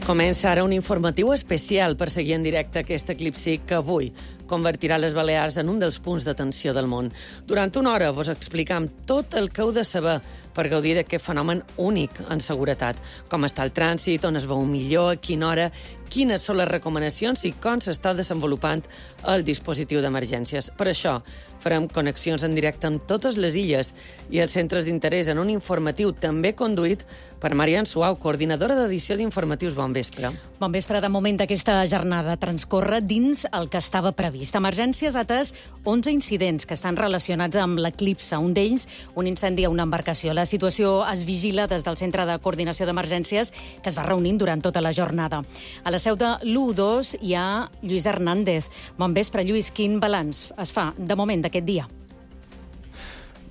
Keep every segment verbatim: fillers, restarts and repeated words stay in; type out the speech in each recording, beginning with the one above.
Comença ara un informatiu especial per seguir en directe aquest eclipsi que avui convertirà les Balears en un dels punts d'atenció del món. Durant una hora vos explicam tot el que heu de saber per gaudir d'aquest fenomen únic en seguretat. Com està el trànsit, on es veu millor, a quina hora, quines són les recomanacions i com s'està desenvolupant el dispositiu d'emergències. Per això farem connexions en directe amb totes les illes i els centres d'interès en un informatiu també conduït per Marian Suau, coordinadora d'edició d'informatius. Bon vespre. Bon vespre. De moment aquesta jornada transcorre dins el que estava previst. Emergències ha atès onze incidents que estan relacionats amb l'eclipse. Un d'ells, un incendi a una embarcació. La situació es vigila des del Centre de Coordinació d'Emergències que es va reunint durant tota la jornada. A la seu de l'U dos hi ha Lluís Hernández. Bon vespre, Lluís. Quin balanç es fa de moment d'aquest dia?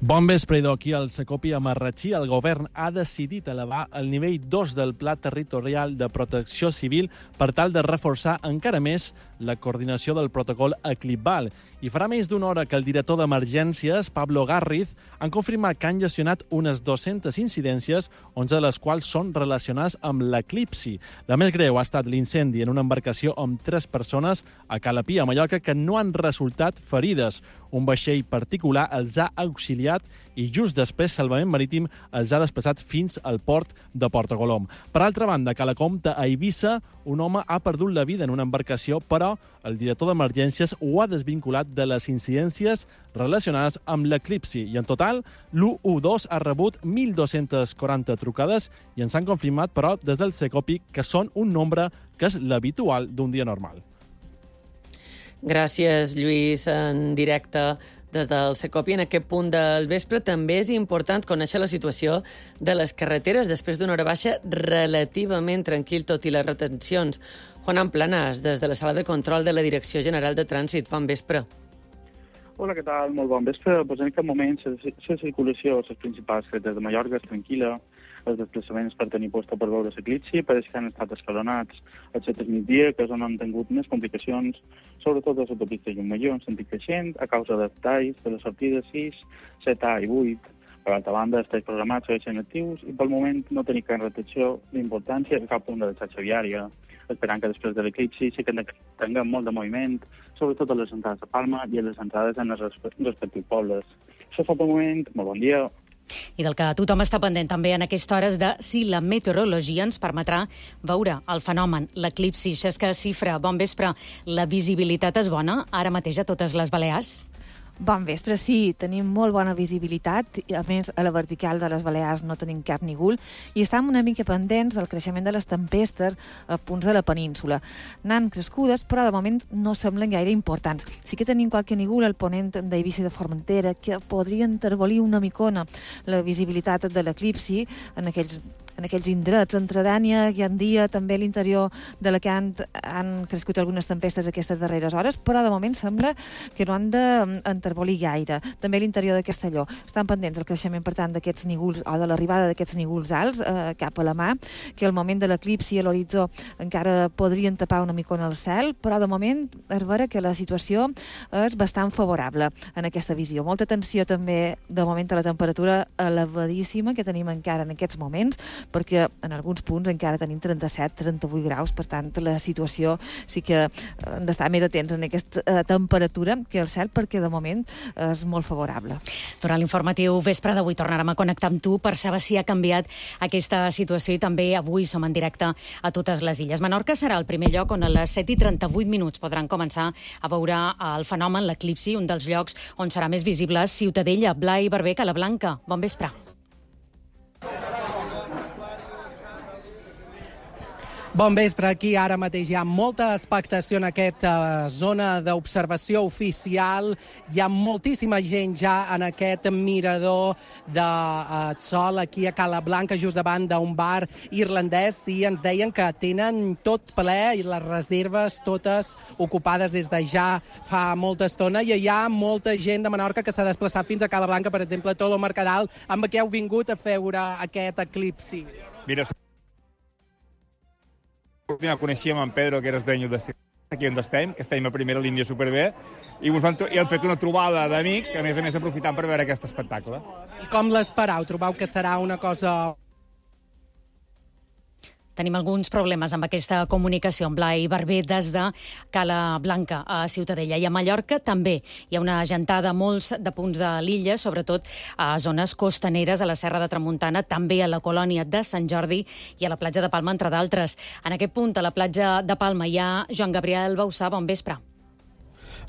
Bon vespre, idò. Aquí al Secopi a Marratxí, el govern ha decidit elevar el nivell dos del Pla Territorial de Protecció Civil per tal de reforçar encara més la coordinació del protocol Eclipval. I farà més d'una hora que el director d'Emergències, Pablo Garriz, han confirmat que han gestionat unes dues-centes incidències, onze de les quals són relacionades amb l'eclipsi. La més greu ha estat l'incendi en una embarcació amb tres persones a Calapí, a Mallorca, que no han resultat ferides. Un vaixell particular els ha auxiliat i just després Salvament Marítim els ha desplaçat fins al port de Portacolom. Per altra banda, a Calacomta, a Eivissa, un home ha perdut la vida en una embarcació, però el director d'Emergències ho ha desvinculat de les incidències relacionades amb l'eclipsi. I en total, l'U dos ha rebut mil dos-centes quaranta trucades i ens han confirmat, però, des del Secopi, que són un nombre que és l'habitual d'un dia normal. Gràcies, Lluís, en directe des del Secopi. En aquest punt del vespre també és important conèixer la situació de les carreteres després d'una hora baixa relativament tranquil, tot i les retencions. Juan Planas, des de la sala de control de la Direcció General de Trànsit. Bon vespre. Hola, què tal? Molt bon vespre. Pues en aquest moment la circulació a les principals carreteres de Mallorca és tranquil·la. Els desplaçaments per tenir posta per veure l'eclipsi pareix que han estat escalonats al set del migdia, que és on han tingut més complicacions, sobretot a l'autopista Llummajor, en sentit creixent, a causa de talls de les sortides sis, set A i vuit. Per altra banda, els talls programats segueixen actius i pel moment no tenim cap retenció d'importància a cap punt de la xarxa viària, esperant que després de l'eclipsi sí que tinguem molt de moviment, sobretot a les entrades de Palma i a les entrades en els respectius pobles. Això fa pel moment. Molt bon dia. I del que tothom està pendent també en aquesta hores de si la meteorologia ens permetrà veure el fenomen, l'eclipsi. Xesca Cifra, bon vespre. La visibilitat és bona ara mateix a totes les Balears? Bon vespre, sí, tenim molt bona visibilitat, a més a la vertical de les Balears no tenim cap nígol i estem una mica pendents del creixement de les tempestes a punts de la península. N'han crescudes, però de moment no semblen gaire importants. Sí que tenim qualque nígol al ponent d'Eivissa de Formentera que podria enterbolir una micona la visibilitat de l'eclipsi en aquells en aquells indrets, entre Dània i Gandia, també a l'interior d'Alacant han crescut algunes tempestes aquestes darreres hores, però de moment sembla que no han d'enterbolir gaire. També a l'interior de Castelló estan pendents del creixement, per tant, d'aquests nígols, o de l'arribada d'aquests nígols alts eh, cap a la mà, que al moment de l'eclipsi a l'horitzó encara podrien tapar una micona al cel, però de moment és vera que la situació és bastant favorable en aquesta visió. Molta atenció també, de moment, a la temperatura elevadíssima que tenim encara en aquests moments, perquè en alguns punts encara tenim trenta-set trenta-vuit graus, per tant la situació sí que hem d'estar més atents en aquesta eh, temperatura que el cel, perquè de moment és molt favorable. Durant l'informatiu vespre d'avui tornarem a connectar amb tu per saber si ha canviat aquesta situació i també avui som en directe a totes les illes. Menorca serà el primer lloc on a les set i trenta-vuit minuts podran començar a veure el fenomen, l'eclipsi, un dels llocs on serà més visible Ciutadella, Blai, Barber, Calablanca. Bon vespre. Bon vespre, aquí ara mateix hi ha molta expectació en aquesta zona d'observació oficial. Hi ha moltíssima gent ja en aquest mirador de uh, sol aquí a Calablanca, just davant d'un bar irlandès, i ens deien que tenen tot ple i les reserves totes ocupades des de ja fa molta estona, i hi ha molta gent de Menorca que s'ha desplaçat fins a Calablanca, per exemple, Tolo Mercadal, amb què heu vingut a veure aquest eclipsi. Mira, ja coneixíem en Pedro, que era el dueño d'este aquí on estem, que estem a primera línia superbé, i ens han, i han fet una trobada d'amics, a més a més aprofitant per veure aquest espectacle. I com l'esperau? Trobeu que serà una cosa Tenim alguns problemes amb aquesta comunicació amb Blai Barber des de Cala Blanca a Ciutadella. I a Mallorca també hi ha una gentada a molts de punts de l'illa, sobretot a zones costaneres, a la Serra de Tramuntana, també a la colònia de Sant Jordi i a la platja de Palma, entre d'altres. En aquest punt, a la platja de Palma, hi ha Joan Gabriel Bausà. Bon vespre.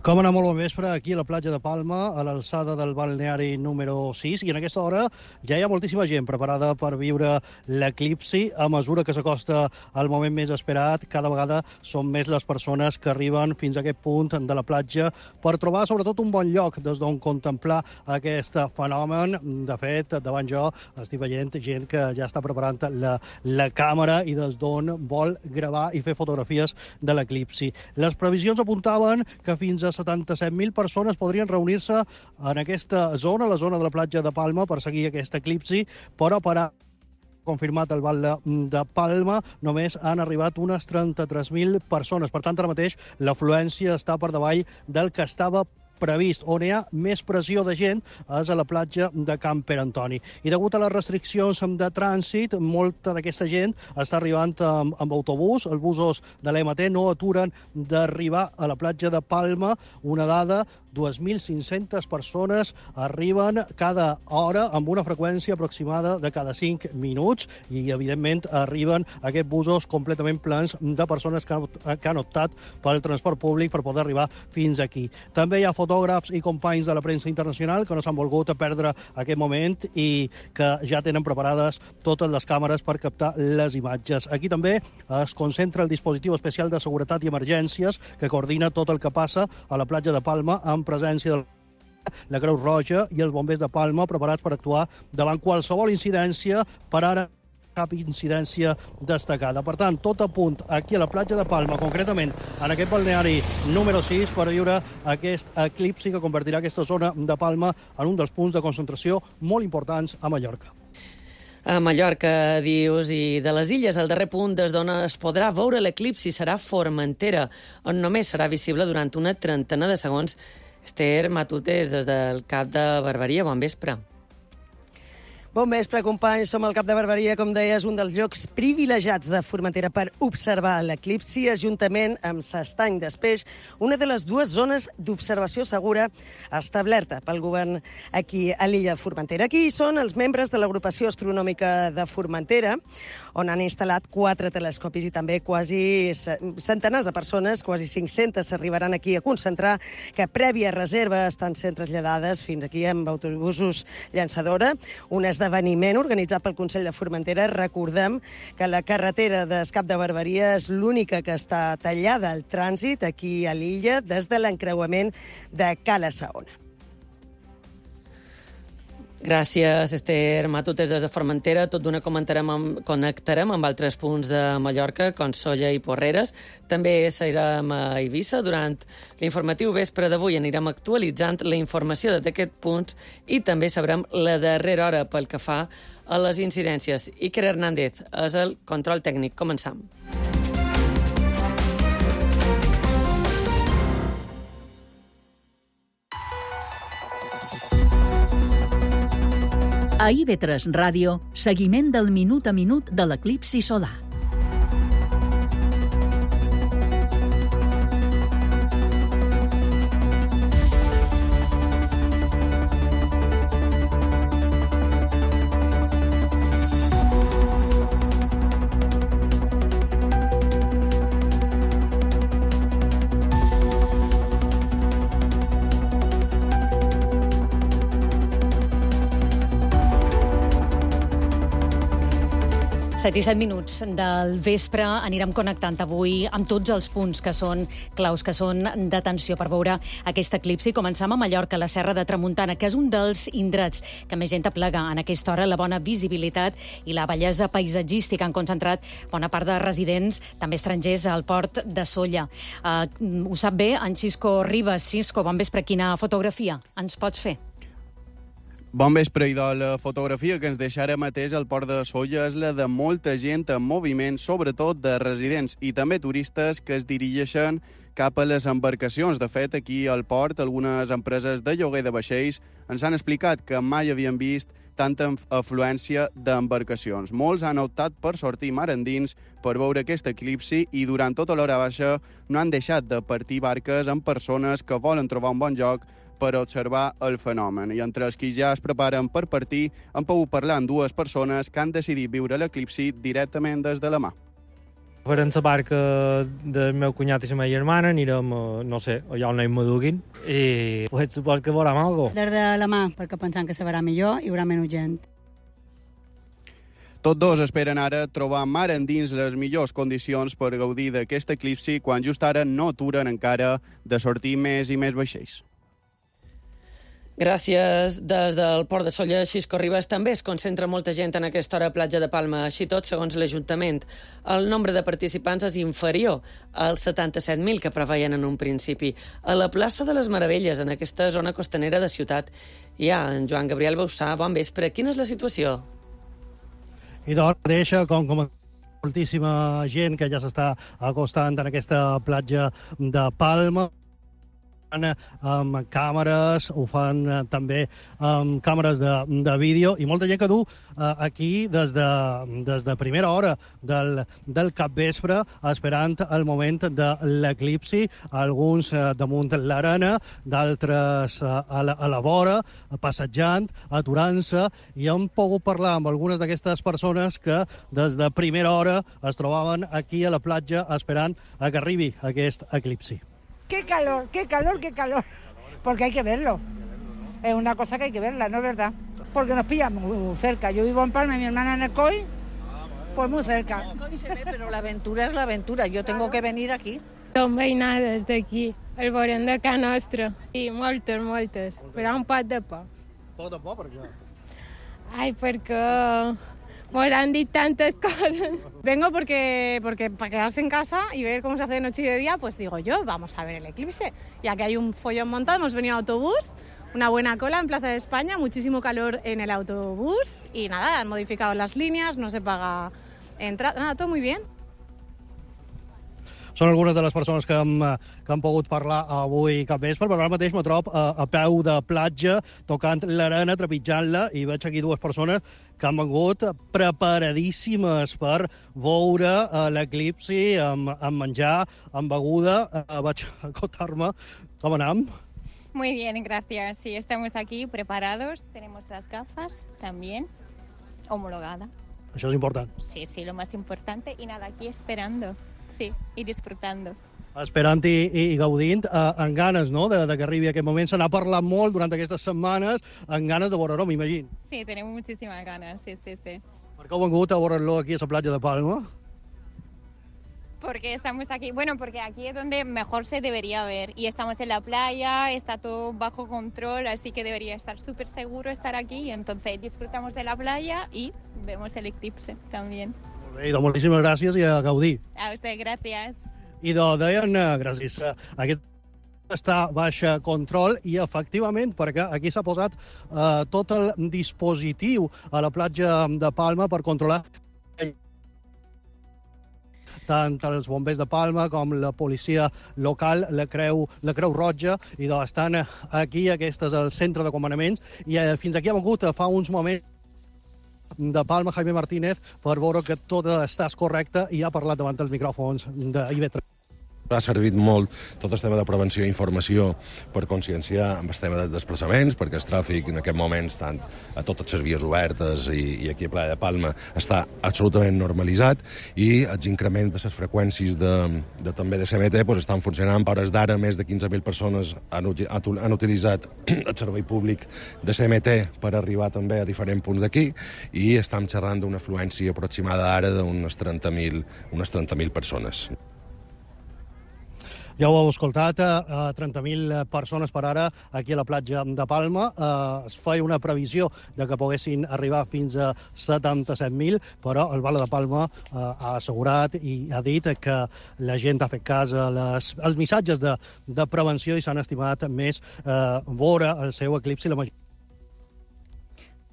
Com anar molt bon vespre, aquí a la platja de Palma, a l'alçada del balneari número sis, i en aquesta hora ja hi ha moltíssima gent preparada per viure l'eclipsi. A mesura que s'acosta el moment més esperat, cada vegada són més les persones que arriben fins a aquest punt de la platja per trobar sobretot un bon lloc des d'on contemplar aquest fenomen. De fet, davant jo estic veient gent que ja està preparant la, la càmera i des d'on vol gravar i fer fotografies de l'eclipsi. Les previsions apuntaven que fins a setanta-set mil persones podrien reunir-se en aquesta zona, la zona de la platja de Palma, per seguir aquest eclipsi, però per a confirmat el Val de Palma, només han arribat unes trenta-tres mil persones. Per tant, ara mateix l'afluència està per davall del que estava previst. On hi ha més pressió de gent és a la platja de Can Pere Antoni. I degut a les restriccions de trànsit, molta d'aquesta gent està arribant amb, amb autobús. Els busos de l'E M T no aturen d'arribar a la platja de Palma. Una dada, dos mil cinc-centes persones arriben cada hora amb una freqüència aproximada de cada cinc minuts i, evidentment, arriben aquests busos completament plens de persones que han, que han optat pel transport públic per poder arribar fins aquí. També hi ha fotògrafs i companys de la premsa internacional que no s'han volgut perdre aquest moment i que ja tenen preparades totes les càmeres per captar les imatges. Aquí també es concentra el dispositiu especial de seguretat i emergències que coordina tot el que passa a la platja de Palma amb presència de la Creu Roja i els bombers de Palma preparats per actuar davant qualsevol incidència. Per ara, cap incidència destacada. Per tant, tot a punt aquí a la platja de Palma, concretament en aquest balneari número sis, per viure aquest eclipsi que convertirà aquesta zona de Palma en un dels punts de concentració molt importants a Mallorca. A Mallorca, dius, i de les illes, el darrer punt des d'on es podrà veure l'eclipsi serà Formentera, on només serà visible durant una trentena de segons. Esther Matutes, des del Cap de Barberia, bon vespre. Bon vespre, companys. Som al Cap de Barberia, com deies, un dels llocs privilegiats de Formentera per observar l'eclipsi, juntament amb s'Estany d'Espeix, una de les dues zones d'observació segura establerta pel govern aquí a l'illa de Formentera. Aquí són els membres de l'Agrupació Astronòmica de Formentera, on han instal·lat quatre telescopis i també quasi centenars de persones, quasi cinc-centes, s'arribaran aquí a concentrar, que prèvia reserva estan sent traslladades fins aquí amb autobusos llançadora, un esdeveniment organitzat pel Consell de Formentera. Recordem que la carretera d'Escap de Barberia és l'única que està tallada al trànsit aquí a l'illa des de l'encreuament de Cala Saona. Gràcies, Esther Matutes, des de Formentera. Tot d'una comentarem amb, connectarem amb altres punts de Mallorca, com Sóller i Porreres. També serem a Eivissa. Durant l'informatiu vespre d'avui anirem actualitzant la informació d'aquests punts i també sabrem la darrera hora pel que fa a les incidències. Iker Hernández és el control tècnic. Començam. A I V tres Ràdio, seguiment del minut a minut de l'eclipsi solar. set i set minuts del vespre anirem connectant avui amb tots els punts que són claus, que són d'atenció per veure aquest eclipsi. Començam a Mallorca, a la Serra de Tramuntana, que és un dels indrets que més gent aplega en aquesta hora. La bona visibilitat i la bellesa paisatgística han concentrat bona part de residents, també estrangers, al port de Sóller. Uh, ho sap bé en Xisco Ribas. Xisco, bon vespre. Quina fotografia ens pots fer? Bon vespre, i de la fotografia que ens deixa ara mateix al port de Sóller és la de molta gent en moviment, sobretot de residents i també turistes que es dirigeixen cap a les embarcacions. De fet, aquí al port, algunes empreses de lloguer de vaixells ens han explicat que mai havien vist tanta afluència d'embarcacions. Molts han optat per sortir mar endins per veure aquest eclipsi i durant tota l'hora baixa no han deixat de partir barques amb persones que volen trobar un bon lloc per observar el fenomen. I entre els que ja es preparen per partir, han pogut parlar amb dues persones que han decidit viure l'eclipsi directament des de la mà. Farem la barca del meu cunyat i la meva germana, anirem, no sé, allà on ells m'aduguin, i pues, supos que veurem alguna cosa. Des de la mà, perquè pensant que se verà millor, hi haurà menys gent. Tots dos esperen ara trobar mar endins les millors condicions per gaudir d'aquest eclipsi quan just ara no aturen encara de sortir més i més vaixells. Gràcies. Des del Port de Sóller, Xisco Ribas, també es concentra molta gent en aquesta hora a Platja de Palma. Així tot, segons l'Ajuntament, el nombre de participants és inferior als setanta-set mil que preveien en un principi. A la plaça de les Meravelles, en aquesta zona costanera de ciutat, hi ha en Joan Gabriel Bausà. Bon vespre. Quina és la situació? I d'hora deixa, com, com moltíssima gent que ja s'està acostant en aquesta platja de Palma, amb càmeres, ho fan eh, també amb càmeres de, de vídeo, i molta gent que du eh, aquí des de, des de primera hora del, del capvespre esperant el moment de l'eclipsi, alguns eh, damunt l'arena, d'altres eh, a, la, a la vora, passejant, aturant-se, i hem pogut parlar amb algunes d'aquestes persones que des de primera hora es trobaven aquí a la platja esperant a que arribi aquest eclipsi. ¡Qué calor, qué calor, qué calor! Porque hay que verlo. Es una cosa que hay que verla, ¿no es verdad? Porque nos pilla muy cerca. Yo vivo en Palma y mi hermana en el C O I, pues muy cerca. El C O I se ve, pero la aventura es la aventura. Yo tengo que venir aquí. Som veïnades d'aquí, el veurem de casa nostra. I moltes, moltes, però un pot de por. Pot de por, per què? Ai, perquè nos han dit tantas cosas. Vengo porque, porque para quedarse en casa y ver cómo se hace de noche y de día, pues digo yo, vamos a ver el eclipse. Ya que hay un follón montado, hemos venido en autobús, una buena cola en Plaza de España, muchísimo calor en el autobús y nada, han modificado las líneas, no se paga entrada, nada, todo muy bien. Són algunes de les persones que hem, que han pogut parlar avui capvespre, però ara mateix me trobo a, a peu de platja, tocant l'arena, trepitjant-la, i veig aquí dues persones que han vengut preparadíssimes per veure uh, l'eclipsi amb, amb menjar, amb beguda. Uh, vaig acotar-me. Com anem? Muy bien, gracias. Sí, estamos aquí preparados. Tenemos las gafas también homologada. Això és important. Sí, sí, lo más importante. Y nada, aquí esperando. Sí, y disfrutando. Esperant i, i gaudint, eh, amb ganes, no?, de, de que arribi aquest moment. Se n'ha parlat molt durant aquestes setmanes, amb ganes de veure-ho, m'imagino. Sí, tenemos muchísimas ganas, sí, sí, sí. Per què heu vengut a veure-lo aquí a la platja de Palma? Porque estamos aquí, bueno, porque aquí es donde mejor se debería ver. Y estamos en la playa, está todo bajo control, así que debería estar súper seguro estar aquí. Y entonces disfrutamos de la playa y vemos el eclipse también. Bé, doncs moltíssimes gràcies i a gaudir. A usted, gracias. I doncs deien, gràcies, aquest està baix control i efectivament, perquè aquí s'ha posat eh, tot el dispositiu a la platja de Palma per controlar tant els bombers de Palma com la policia local, la Creu, la Creu Roja, i doncs estan aquí, aquest és el centre de comandaments, i eh, fins aquí ha vengut fa uns moments de Palma, Jaime Martínez, per veure que tot està correcte, i ha parlat davant dels micròfons d'I V tres. Ha servit molt tot el tema de prevenció i informació per conscienciar amb el tema dels desplaçaments, perquè el tràfic en aquest moment, tant a totes les vies obertes i, i aquí a Playa de Palma, està absolutament normalitzat, i els increments de les freqüències de, de, també de C M T pues, estan funcionant. A hores d'ara, més de quinze mil persones han, han utilitzat el servei públic de C M T per arribar també a diferents punts d'aquí, i estem xerrant d'una afluència aproximada ara d'unes trenta mil unes trenta mil persones. Ja ho heu escoltat, eh, trenta mil persones per ara aquí a la platja de Palma. Eh, es feia una previsió de que poguessin arribar fins a setanta-set mil, però el Bala de Palma eh, ha assegurat i ha dit que la gent ha fet cas a les, als missatges de, de prevenció i s'han estimat més eh, veure el seu eclipsi la major.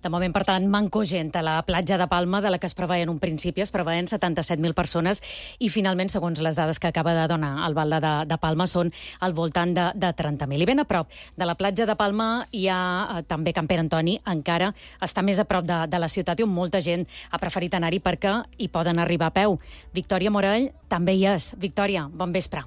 De moment, per tant, manco gent a la platja de Palma, de la que es preveien un principi, es preveien setanta-set mil persones i finalment, segons les dades que acaba de donar el Balde de, de Palma, són al voltant de, de trenta mil. I ben a prop de la platja de Palma hi ha eh, també Can Pere Antoni, encara està més a prop de, de la ciutat i on molta gent ha preferit anar-hi perquè hi poden arribar a peu. Victòria Morell també hi és. Victòria, bon vespre.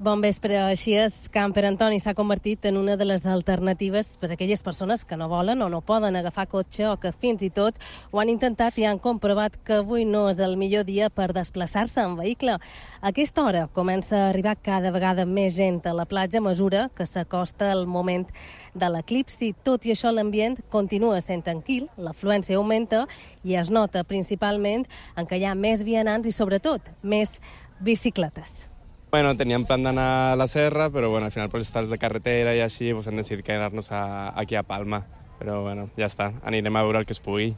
Bon vespre. Així és, Can Pere Antoni s'ha convertit en una de les alternatives per a aquelles persones que no volen o no poden agafar cotxe o que fins i tot ho han intentat i han comprovat que avui no és el millor dia per desplaçar-se en vehicle. A aquesta hora comença a arribar cada vegada més gent a la platja a mesura que s'acosta el moment de l'eclipsi. Tot i això, l'ambient continua sent tranquil, l'afluència augmenta i es nota principalment en què hi ha més vianants i, sobretot, més bicicletes. Bueno, teníem plan d'anar a la serra, pero bueno, al final por estar de carretera y así, pues han decidido quedarnos a, aquí a Palma. Pero bueno, ya está, anirem a veure el que es pugui.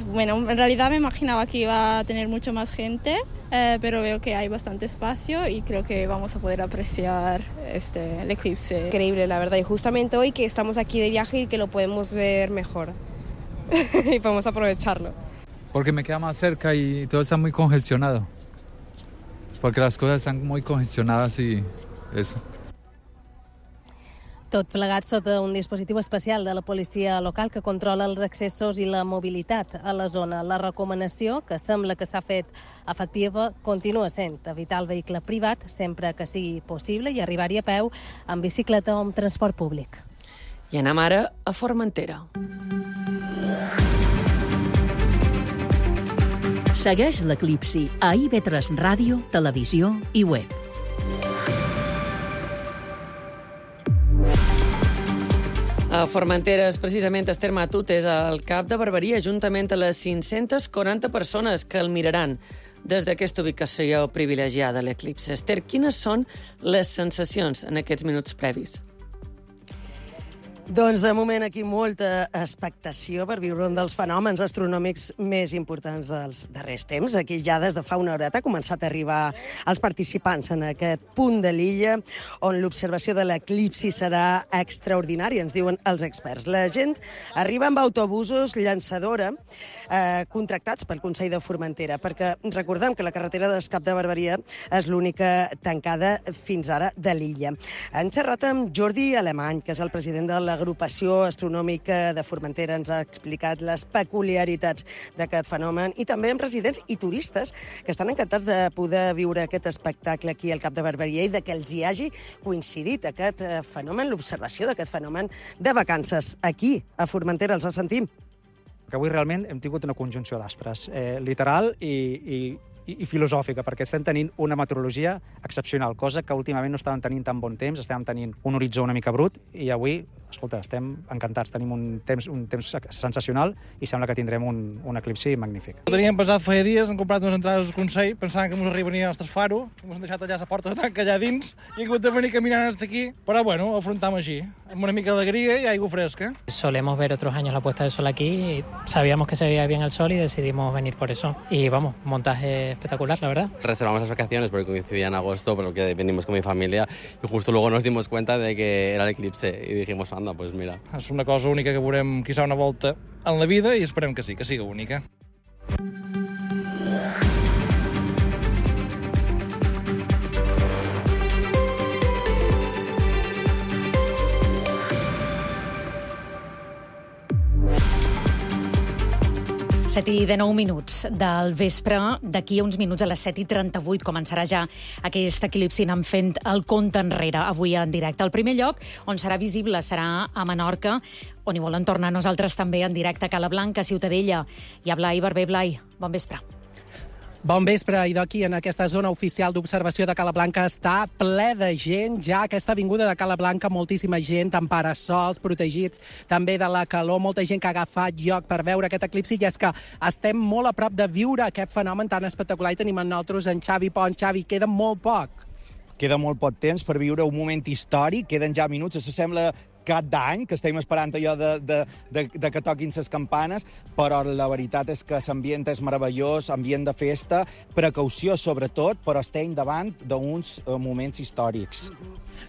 Bueno, en realidad me imaginaba que iba a tener mucho más gente, eh, pero veo que hay bastante espacio y creo que vamos a poder apreciar este, el eclipse. Increíble, la verdad, y justamente hoy que estamos aquí de viaje y que lo podemos ver mejor y podemos aprovecharlo. Porque me queda más cerca y todo está muy congestionado. Porque las cosas están muy congestionadas y eso. Tot plegat sota un dispositiu especial de la policia local que controla els accessos i la mobilitat a la zona. La recomanació, que sembla que s'ha fet efectiva, continua sent evitar el vehicle privat sempre que sigui possible i arribar-hi a peu amb bicicleta o amb transport públic. I anem ara a Formentera. Segueix l'eclipsi a I V tres Ràdio, Televisió i Web. A Formentera, precisament, Esther Matut és el cap de Barberia, juntament a les cinc-centes quaranta persones que el miraran des d'aquesta ubicació privilegiada a l'eclipsi. Esther, quines són les sensacions en aquests minuts previs? Doncs de moment aquí molta expectació per viure un dels fenòmens astronòmics més importants dels darrers temps. Aquí ja des de fa una horeta ha començat a arribar els participants en aquest punt de l'illa on l'observació de l'eclipsi serà extraordinària, ens diuen els experts. La gent arriba amb autobusos llançadora eh, contractats pel Consell de Formentera, perquè recordem que la carretera d'Escap de Barberia és l'única tancada fins ara de l'illa. Han xerrat amb Jordi Alemany, que és el president de la Agrupació Astronòmica de Formentera, ens ha explicat les peculiaritats d'aquest fenomen i també amb residents i turistes que estan encantats de poder viure aquest espectacle aquí al Cap de Barberia i de que els hi hagi coincidit aquest fenomen, l'observació d'aquest fenomen de vacances aquí a Formentera. Els sentim. Que avui realment hem tingut una conjunció d'astres, eh, literal i, i, i filosòfica, perquè estem tenint una meteorologia excepcional, cosa que últimament no estàvem tenint tan bon temps, estàvem tenint un horitzó una mica brut i avui, escolta, estem encantats, tenim un temps, un temps sensacional i sembla que tindrem un, un eclipsi magnífic. Ho teníem pensat feia dies, hem comprat unes entrades al Consell pensant que ens arribarien als Faro, ens han deixat allà a la porta de tanca allà dins i hem hagut de venir caminant fins aquí, però bueno, ho afrontam així, amb una mica d'alegria i aigua fresca. Solemos ver otros años la puesta de sol aquí y sabíamos que se veía bien el sol y decidimos venir por eso. Y vamos, montaje espectacular, la verdad. Reservamos las vacaciones porque coincidía en agosto, por lo que venimos con mi familia y justo luego nos dimos cuenta de que era el eclipse y dijimos, anda, pues mira. És una cosa única que veurem quizá una volta en la vida i esperem que sí, que sigui única. set i dinou minuts del vespre. D'aquí a uns minuts, a les set i trenta-vuit, començarà ja aquest eclipsi anant fent el compte enrere, avui en directe. El primer lloc on serà visible serà a Menorca, on hi volen tornar nosaltres també en directe a Cala Blanca, Ciutadella. Hi ha Blai Barber. Blai, bon vespre. Bon vespre, i d'aquí, en aquesta zona oficial d'observació de Cala Blanca, està ple de gent. Ja aquesta avinguda de Cala Blanca, moltíssima gent amb parasols protegits, també de la calor, molta gent que ha agafat lloc per veure aquest eclipsi, i és que estem molt a prop de viure aquest fenomen tan espectacular, i tenim amb nosaltres en Xavi Pons. Xavi, queda molt poc. Queda molt poc temps per viure un moment històric, queden ja minuts, s'assembla cap d'any, que estem esperant allò de, de, de, de que toquin les campanes, però la veritat és que l'ambient és meravellós, ambient de festa, precaució sobretot, però estem davant d'uns moments històrics.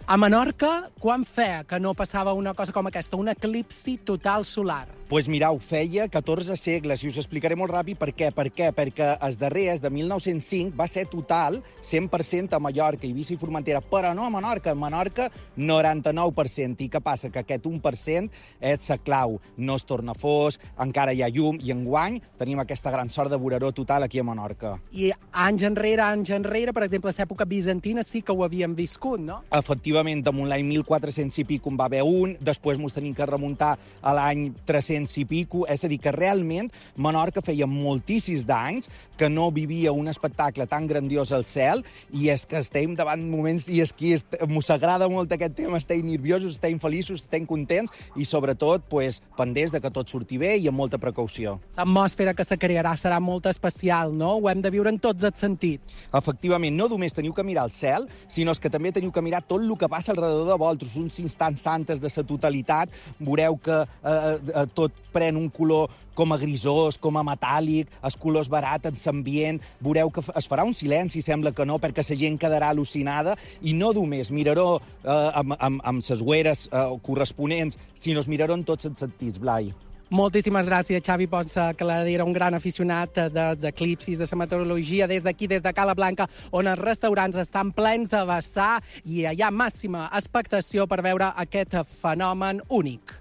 A Menorca, quan feia que no passava una cosa com aquesta, un eclipsi total solar? Doncs pues mirau, feia catorze segles, i us explicaré molt ràpid per què. Per què? Perquè els darrers, de mil nou-cents cinc, va ser total, cent per cent a Mallorca, Eivissa i Formentera, però no a Menorca. A Menorca, noranta-nou per cent. I què passa? Que aquest un per cent és la clau. No es torna fos, encara hi ha llum, i enguany tenim aquesta gran sort de voreró total aquí a Menorca. I anys enrere, anys enrere, per exemple, a l'època bizantina sí que ho havíem viscut, no? Efectivament, damunt l'any mil quatre-cents i pico en va haver un, després mos tenim que remuntar a l'any tres-cents i pico, és a dir, que realment Menorca feia moltíssims d'anys que no vivia un espectacle tan grandiós al cel, i és que estem davant moments, i és que mos agrada molt aquest tema, estem nerviosos, estem feliços, estem contents, i sobretot, pues, pendents de que tot surti bé i amb molta precaució. L'atmosfera que se crearà serà molt especial, no? Ho hem de viure en tots els sentits. Efectivament, no només teniu que mirar al cel, sinó que també teniu que mirar tot el que passa alrededor de vosaltres, uns instants santes de la totalitat. Veureu que eh, eh, tot pren un color com a grisós, com a metàl·lic, els colors barats en l'ambient. Veureu que es farà un silenci, sembla que no, perquè la gent quedarà al·lucinada, i no només miraró eh, amb, amb, amb les ueres eh, corresponents, sinó es miraró en tots els sentits, Blai. Moltíssimes gràcies, Xavi Ponsa, que era un gran aficionat dels eclipsis, de la meteorologia, des d'aquí, des de Cala Blanca, on els restaurants estan plens a vessar i hi ha màxima expectació per veure aquest fenomen únic.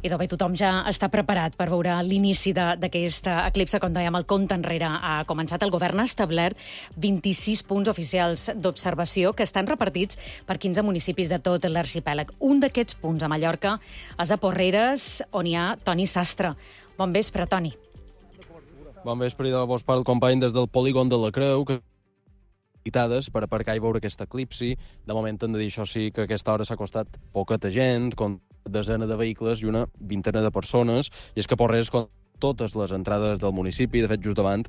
I doncs bé, tothom ja està preparat per veure l'inici d'aquest eclipse. Com dèiem, el compte enrere ha començat. El govern ha establert vint-i-sis punts oficials d'observació que estan repartits per quinze municipis de tot l'arxipèlag. Un d'aquests punts a Mallorca és a Porreres, on hi ha Toni Sastre. Bon vespre, Toni. Bon vespre, i de vos parla el company des del polígon de la Creu, que per aparcar i veure aquest eclipsi. De moment hem de dir, això sí, que a aquesta hora s'ha costat poqueta gent, com desena de vehicles i una vintena de persones, i és que Porreres, com totes les entrades del municipi, de fet, just davant,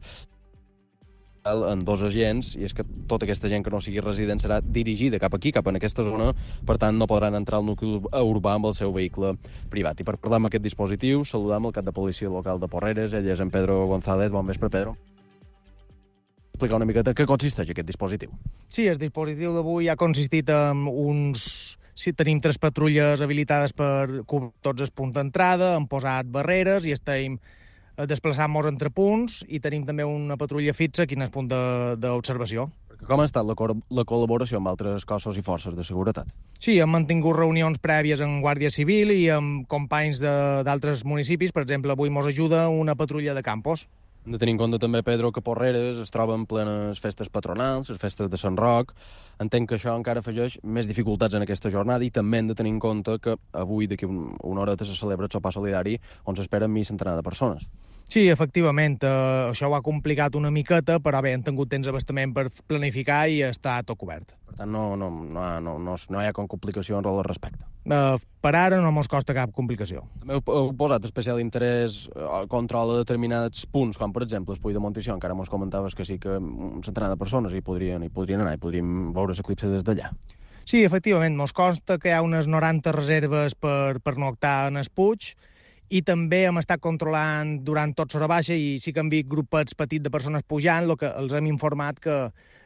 en dos agents, i és que tota aquesta gent que no sigui resident serà dirigida cap aquí, cap en aquesta zona, per tant no podran entrar al nucli urbà amb el seu vehicle privat. I per parlar amb aquest dispositiu, saludam el cap de policia local de Porreres, ell és en Pedro González. Bon vespre, Pedro. Explicar una miqueta què consisteix aquest dispositiu. Sí, el dispositiu d'avui ha consistit en uns... Sí, tenim tres patrulles habilitades per cobrir tots els punts d'entrada, hem posat barreres i estem desplaçant-nos entre punts, i tenim també una patrulla fixa aquí en el punt d'observació. Com ha estat la, co la col·laboració amb altres cossos i forces de seguretat? Sí, hem mantingut reunions prèvies amb Guàrdia Civil i amb companys d'altres municipis. Per exemple, avui ens ajuda una patrulla de Campos. Hem de tenir en compte també, Pedro, que Porreres es troba en plenes festes patronals, les festes de Sant Roc. Entenc que això encara afegeix més dificultats en aquesta jornada, i també hem de tenir en compte que avui, d'aquí una horeta, se celebra el sopar solidari, on s'espera mig centenar de persones. Sí, efectivament, eh, això ho ha complicat una miqueta, però bé, hem tingut temps abastament per planificar i està tot cobert. Per tant, no, no, no, no, no, no hi ha complicacions al respecte. Eh, per ara no mos costa cap complicació. També heu, heu posat especial interès al control de determinats punts, com per exemple el Puig de Montitxó. Encara mos comentaves que sí que un centenar de persones hi podrien, hi podrien anar, i podríem veure l'eclipse des d'allà. Sí, efectivament, mos consta que hi ha unes noranta reserves per, per noctar en el Puig, i també hem estat controlant durant tot l'hora baixa, i sí que hem vist grupets petits de persones pujant, el que els hem informat que,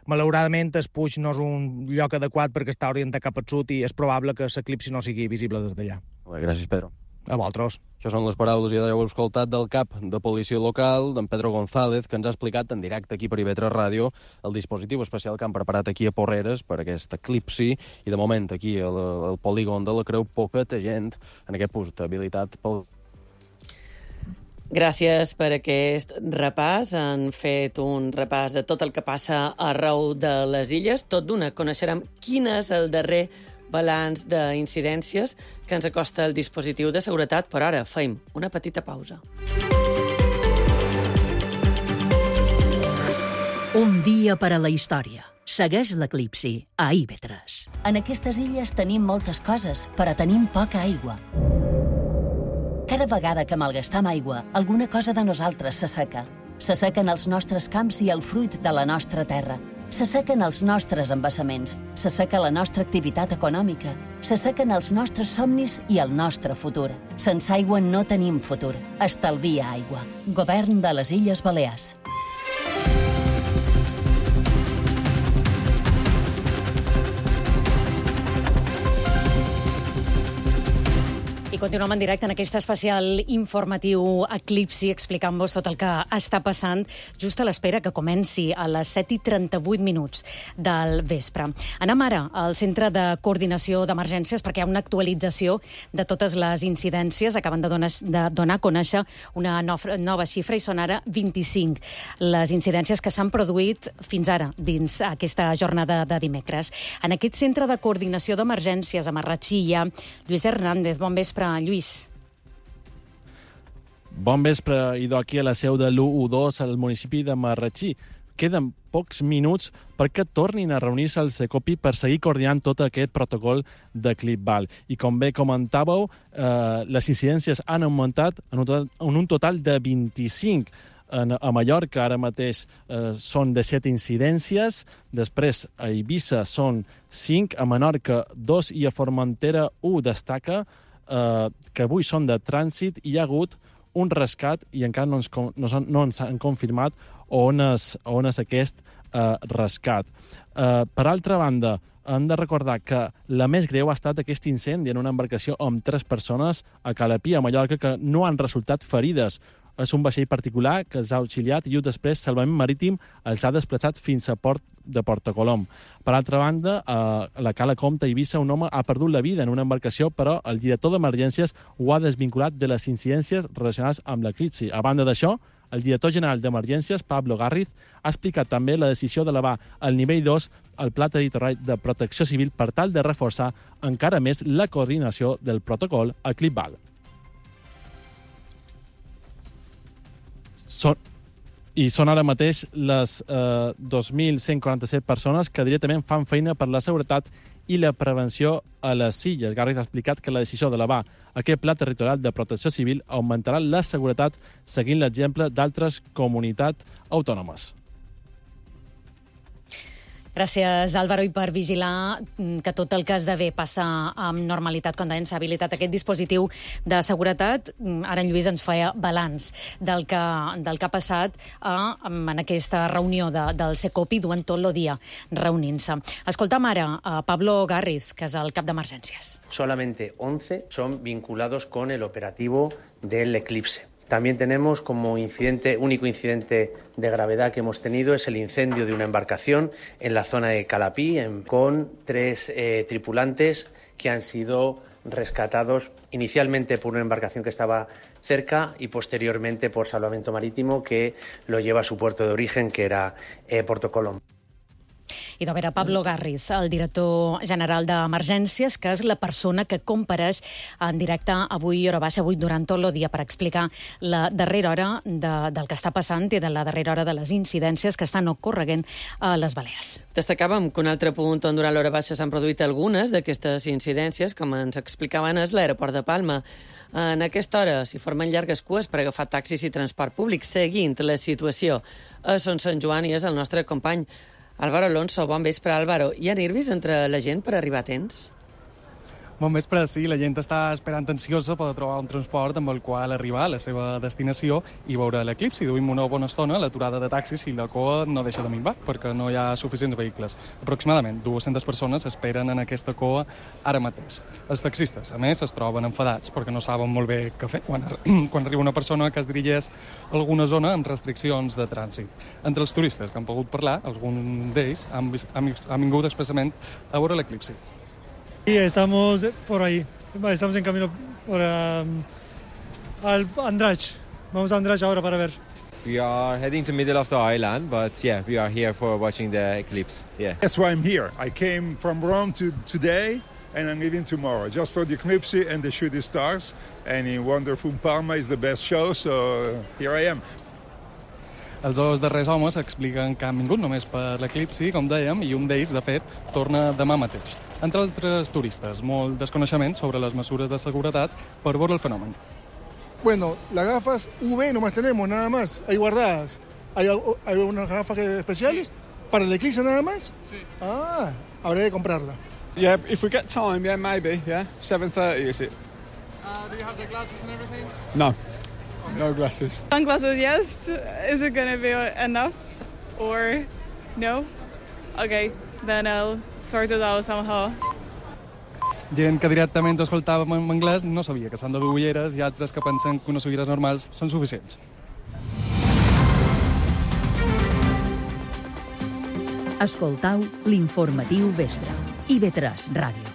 malauradament, el Puig no és un lloc adequat perquè està orientat cap al sud, i és probable que l'eclipsi no sigui visible des d'allà. Bé, gràcies, Pedro. A vosaltres. Això són les paraules, ja heu escoltat, del cap de policia local, d'en Pedro González, que ens ha explicat en directe aquí per I V tres Ràdio el dispositiu especial que han preparat aquí a Porreres per aquest eclipsi, i de moment aquí al, al polígon de la Creu poqueta gent en aquest punt habilitat pel... Gràcies per aquest repàs. Han fet un repàs de tot el que passa arreu de les illes. Tot d'una coneixerem quin és el darrer balanç d'incidències que ens acosta el dispositiu de seguretat. Per ara, fem una petita pausa. Un dia per a la història. Segueix l'eclipsi a I V tres. En aquestes illes tenim moltes coses, però tenim poca aigua. Cada vegada que malgastam aigua, alguna cosa de nosaltres s'asseca. S'assequen els nostres camps i el fruit de la nostra terra. S'assequen els nostres embassaments, s'asseca la nostra activitat econòmica, s'assequen els nostres somnis i el nostre futur. Sense aigua no tenim futur. Estalvia aigua. Govern de les Illes Balears. I continuem en directe en aquest especial informatiu Eclipsi, explicant-vos tot el que està passant just a l'espera que comenci a les set i trenta-vuit minuts del vespre. Anem ara al Centre de Coordinació d'Emergències perquè hi ha una actualització de totes les incidències. Acaben de donar, de donar a conèixer una nova xifra i són ara vint-i-cinc les incidències que s'han produït fins ara dins aquesta jornada de dimecres. En aquest Centre de Coordinació d'Emergències a Marratxí hi ha Lluís Hernández. Bon vespre, Lluís. Bon vespre, idò aquí a la seu de l'u u dos al municipi de Marratxí. Queden pocs minuts perquè tornin a reunir-se al Secopi per seguir coordinant tot aquest protocol de Clipval. I com bé comentàveu, eh, les incidències han augmentat en un total, en un total de vint-i-cinc. En, a Mallorca ara mateix eh, són de set incidències, després a Eivissa són cinc, a Menorca dos i a Formentera un. Destaca eh, que avui són de trànsit i hi ha hagut un rescat i encara no ens, no, no ens han confirmat on és, on és aquest eh, rescat. Eh, per altra banda, hem de recordar que la més greu ha estat aquest incendi en una embarcació amb tres persones a Calapí, a Mallorca, que no han resultat ferides. És un vaixell particular que els ha auxiliat i després Salvament Marítim els ha desplaçat fins a Port de Portocolom. Per altra banda, a la Cala Comte a Eivissa, un home ha perdut la vida en una embarcació, però el director d'emergències ho ha desvinculat de les incidències relacionades amb l'eclipsi. A banda d'això, el director general d'Emergències, Pablo Garriz, ha explicat també la decisió d'elevar al nivell dos el Pla Territorial de Protecció Civil per tal de reforçar encara més la coordinació del protocol a Clipval. Són, I són ara mateix les eh, dos mil cent quaranta-set persones que directament fan feina per la seguretat i la prevenció a les illes. Garriz ha explicat que la decisió d'elevar aquest Pla Territorial de Protecció Civil augmentarà la seguretat seguint l'exemple d'altres comunitats autònomes. Gràcies, Álvaro, i per vigilar que tot el que esdevé passa amb normalitat. Com deien, s'ha habilitat aquest dispositiu de seguretat. Ara en Lluís ens feia balanç del que, del que ha passat a, en aquesta reunió de, del Secopi durant tot el dia reunint-se. Escoltam ara a Pablo Garriz, que és el cap d'emergències. Solamente once son vinculados con el operativo del eclipse. También tenemos como incidente, único incidente de gravedad que hemos tenido es el incendio de una embarcación en la zona de Calapí en, con tres eh, tripulantes que han sido rescatados inicialmente por una embarcación que estaba cerca y posteriormente por Salvamento Marítimo que lo lleva a su puerto de origen, que era eh, Portocolom. I de veure Pablo Garriz, el director general d'Emergències, que és la persona que compareix en directe avui, hora baixa, avui durant tot el dia, per explicar la darrera hora de, del que està passant i de la darrera hora de les incidències que estan ocorreguent a les Balears. Destacàvem que un altre punt on durant l'hora baixa s'han produït algunes d'aquestes incidències, com ens explicaven, és l'aeroport de Palma. En aquesta hora s'hi formen llargues cues per agafar taxis i transport públic, seguint la situació a Son Sant Joan, i és el nostre company Álvaro Alonso. Bon vespre, Álvaro. Hi ha nervis entre la gent per arribar a temps? Bon vespre, sí. La gent està esperant ansiosa per trobar un transport amb el qual arribar a la seva destinació i veure l'eclipsi. Duim una bona estona l'aturada de taxis i la cua no deixa de minvar perquè no hi ha suficients vehicles. Aproximadament dues-centes persones esperen en aquesta cua ara mateix. Els taxistes, a més, es troben enfadats perquè no saben molt bé què fer quan, quan arriba una persona que es dirigeix a alguna zona amb restriccions de trànsit. Entre els turistes que han pogut parlar, alguns d'ells han, han, han vingut expressament a veure l'eclipsi. Sí, estamos por ahí. Estamos en camino por, um, al Andrach. Vamos a Andrach ahora para ver. We are heading to middle of the island, but yeah, we are here for watching the eclipse. Yeah. That's why I'm here. I came from Rome to today, and I'm leaving tomorrow, just for the eclipse and the shooting stars. And in wonderful Palma is the best show, so here I am. Els dos darrers homes expliquen que han vingut només per l'eclipsi, com dèiem, i un d'ells, de fet, torna demà mateix. Entre altres turistes, molt desconeixement sobre les mesures de seguretat per veure el fenomen. Bueno, las gafas U V nomás tenemos, nada más. Hay guardadas. ¿Hay, hay unas gafas especiales? ¿Para el eclipse nada más? Sí. Ah, habré de comprarla. Yeah, if we get time, yeah, maybe, yeah. seven thirty, is it? Uh, do you have the glasses and everything? No, no glasses. Sunglasses, yes. Is it going to be enough or no? Okay, then I'll sort it out somehow. Gent que directament escoltàvem en anglès no sabia que s'han de dur ulleres i altres que pensen que unes ulleres normals són suficients. Escoltau l'informatiu vespre. I ve tres Ràdio.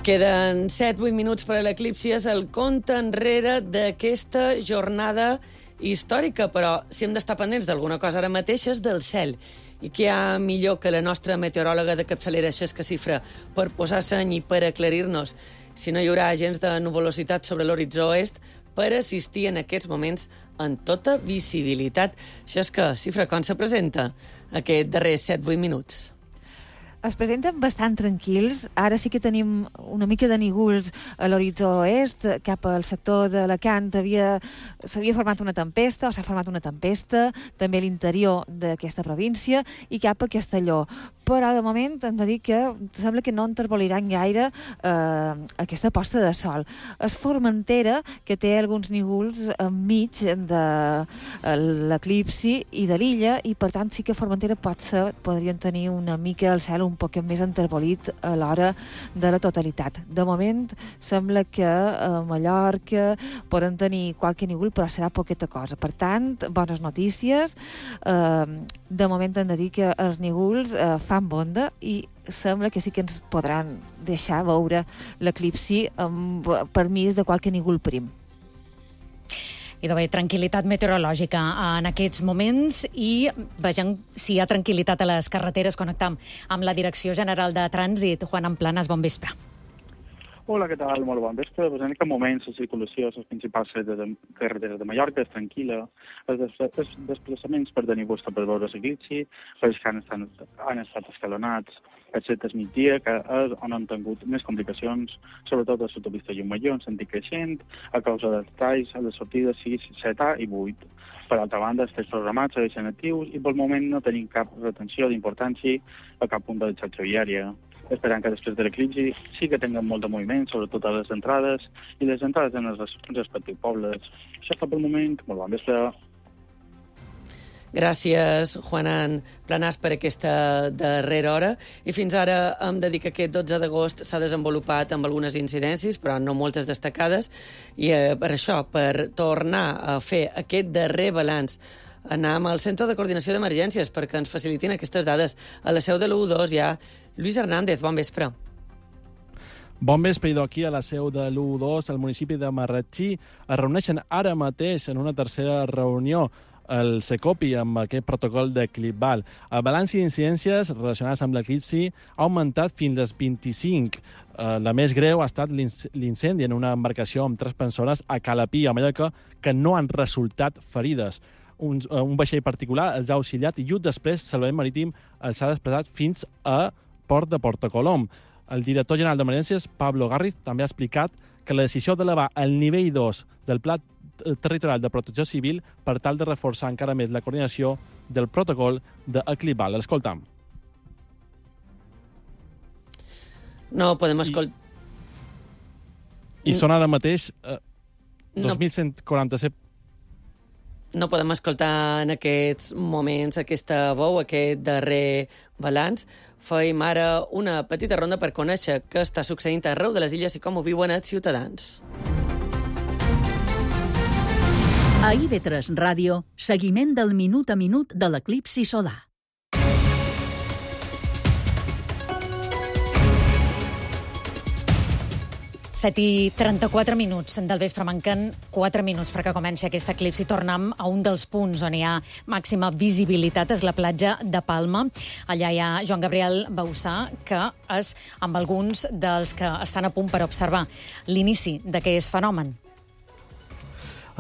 Queden set vuit minuts per a l'eclipsi. És el compte enrere d'aquesta jornada històrica, però si hem d'estar pendents d'alguna cosa ara mateix és del cel. I què hi ha millor que la nostra meteoròloga de capçalera, Xesca Cifra, per posar seny i per aclarir-nos si no hi haurà agents de nuvolositat sobre l'horitzó oest per assistir en aquests moments en tota visibilitat. Xesca Cifra, com se presenta aquest darrer set vuit minuts? Es presenten bastant tranquils. Ara sí que tenim una mica de nígols a l'horitzó oest. Cap al sector d'Alacant s'havia format una tempesta, o s'ha format una tempesta, també a l'interior d'aquesta província, i cap a Castelló. Però, de moment, hem de dir que sembla que no enterboliran gaire eh, aquesta posta de sol. És Formentera, que té alguns nígols enmig de l'eclipsi i de l'illa, i, per tant, sí que Formentera pot ser, podrien tenir una mica el cel un poc més enterbolit a l'hora de la totalitat. De moment, sembla que a Mallorca poden tenir qualque nígol, però serà poqueta cosa. Per tant, bones notícies. Eh, de moment hem de dir que els nígols eh, fan bonda i sembla que sí que ens podran deixar veure l'eclipsi amb permís de qualque nígol prim. Idò bé, tranquil·litat meteorològica en aquests moments i vegem si hi ha tranquil·litat a les carreteres. Connectam amb la Direcció General de Trànsit. Juan Amplanas, bon vespre. Hola, què tal? Molt bon vespre. Pues en aquest moment la circulació a les principals carreteres de Mallorca és tranquil·la. Els desplaçaments per tenir costa per veure l'eclipsi, els que han estat, han estat escalonats, excepte el migdia, que és on han tingut més complicacions, sobretot a l'autopista Llumalló, en sentit creixent, a causa dels talls a les sortides sis, set A i vuit. Per altra banda, els tests programats segueixen actius i pel moment no tenim cap retenció d'importància a cap punt de la xarxa viària. Esperant que després de l'eclipsi sí que tinguem molt de moviment, sobretot a les entrades i les entrades en els respectius pobles. Això fa pel moment. Molt bon vespre. Gràcies, Juan Planàs, per aquesta darrera hora. I fins ara hem de dir que aquest dotze d'agost s'ha desenvolupat amb algunes incidències, però no moltes destacades, i eh, per això, per tornar a fer aquest darrer balanç, anem al Centre de Coordinació d'Emergències perquè ens facilitin aquestes dades. A la seu de l'U dos hi ha Lluís Hernández. Bon vespre. Bon vespre, idò, aquí a la seu de l'U dos, al municipi de Marratxí. Es reuneixen ara mateix en una tercera reunió el Secopi amb aquest protocol de ClipBal. El balanç d'incidències relacionades amb l'eclipsi ha augmentat fins als vint-i-cinc. La més greu ha estat l'incendi en una embarcació amb tres persones a Calapí, a Mallorca, que no han resultat ferides. Un, un vaixell particular els ha auxiliat i just després el Salvament Marítim els ha desplaçat fins a Port de Portocolom. El director general d'Emergències, Pablo Garriz, també ha explicat que la decisió d'elevar el nivell dos del Pla Territorial de Protecció Civil per tal de reforçar encara més la coordinació del protocol de ClipBal. L'escoltam. No podem escoltar... I, I són ara mateix eh, dos mil cent quaranta-set. No podem escoltar en aquests moments aquesta veu, aquest darrer balanç. Fem ara una petita ronda per conèixer què està succeint arreu de les illes i com ho viuen els ciutadans. A I V tres Ràdio, seguiment del minut a minut de l'eclipsi solar. set i trenta-quatre minuts del vespre. Manquen quatre minuts perquè comenci aquest eclipsi. Tornem a un dels punts on hi ha màxima visibilitat, és la platja de Palma. Allà hi ha Joan Gabriel Bausà, que és amb alguns dels que estan a punt per observar l'inici d'aquest fenomen.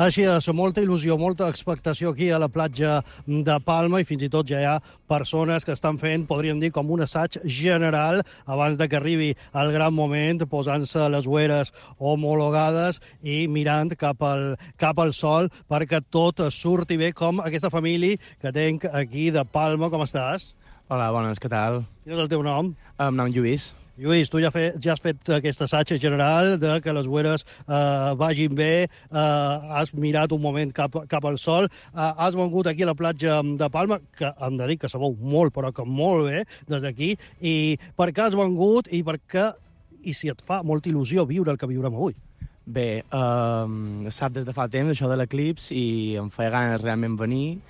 Així és, molta il·lusió, molta expectació aquí a la platja de Palma i fins i tot ja hi ha persones que estan fent, podríem dir, com un assaig general abans de que arribi el gran moment, posant-se les ulleres homologades i mirant cap al, cap al sol perquè tot surti bé, com aquesta família que tenc aquí de Palma. Com estàs? Hola, bones, què tal? Quin és el teu nom? Em nom Lluís. Lluís, tu ja, fe, ja has fet aquest assaig general de que les ulleres eh, vagin bé, eh, has mirat un moment cap, cap al sol, eh, has vengut aquí a la platja de Palma, que hem de dir que se veu molt, però que molt bé, des d'aquí, i per què has vengut i per què, i si et fa molta il·lusió viure el que viurem avui? Bé, eh, sap des de fa temps això de l'eclips i em feia ganes realment venir,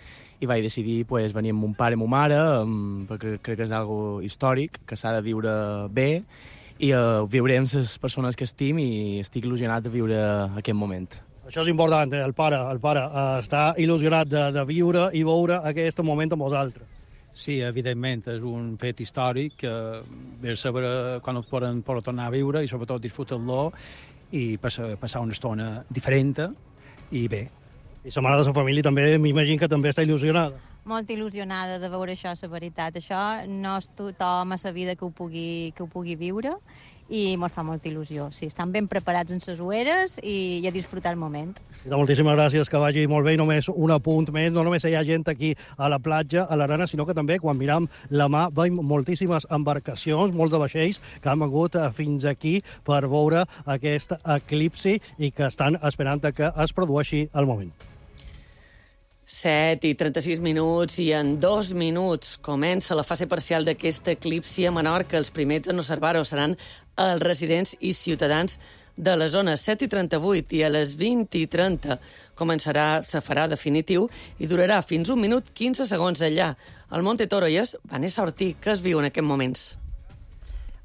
i vaig decidir pues, venir amb mon pare i ma mare, um, perquè crec que és algo històric, que s'ha de viure bé, i uh, viuré amb les persones que estim i estic il·lusionat de viure aquest moment. Això és important, eh? el pare, el pare uh, està il·lusionat de, de viure i veure aquest moment amb vosaltres. Sí, evidentment, és un fet històric que ve a saber quan el poden, poden tornar a viure i sobretot disfrutar-lo i passar, passar una estona diferent i bé. I sa mare de sa família també, m'imagino que també està il·lusionada. Molt il·lusionada de veure això, la veritat. Això no és tothom a la vida que ho pugui, que ho pugui viure i ens fa molta il·lusió. Sí, estan ben preparats en les ulleres i, i a disfrutar el moment. I moltíssimes gràcies, que vagi molt bé. I només un apunt més, no només hi ha gent aquí a la platja, a l'arena, sinó que també quan miram la mà veiem moltíssimes embarcacions, molts de vaixells que han vengut fins aquí per veure aquest eclipsi i que estan esperant que es produeixi el moment. set i trenta-sis minuts i en dos minuts comença la fase parcial d'aquest eclipsi a Menorca. Els primers en observar-ho seran els residents i ciutadans de la zona. set i trenta-vuit i a les vint i trenta començarà, se farà definitiu i durarà fins un minut quinze segons allà. Al Monte Toro i és Vanessa Ortí, que es viu en aquests moments.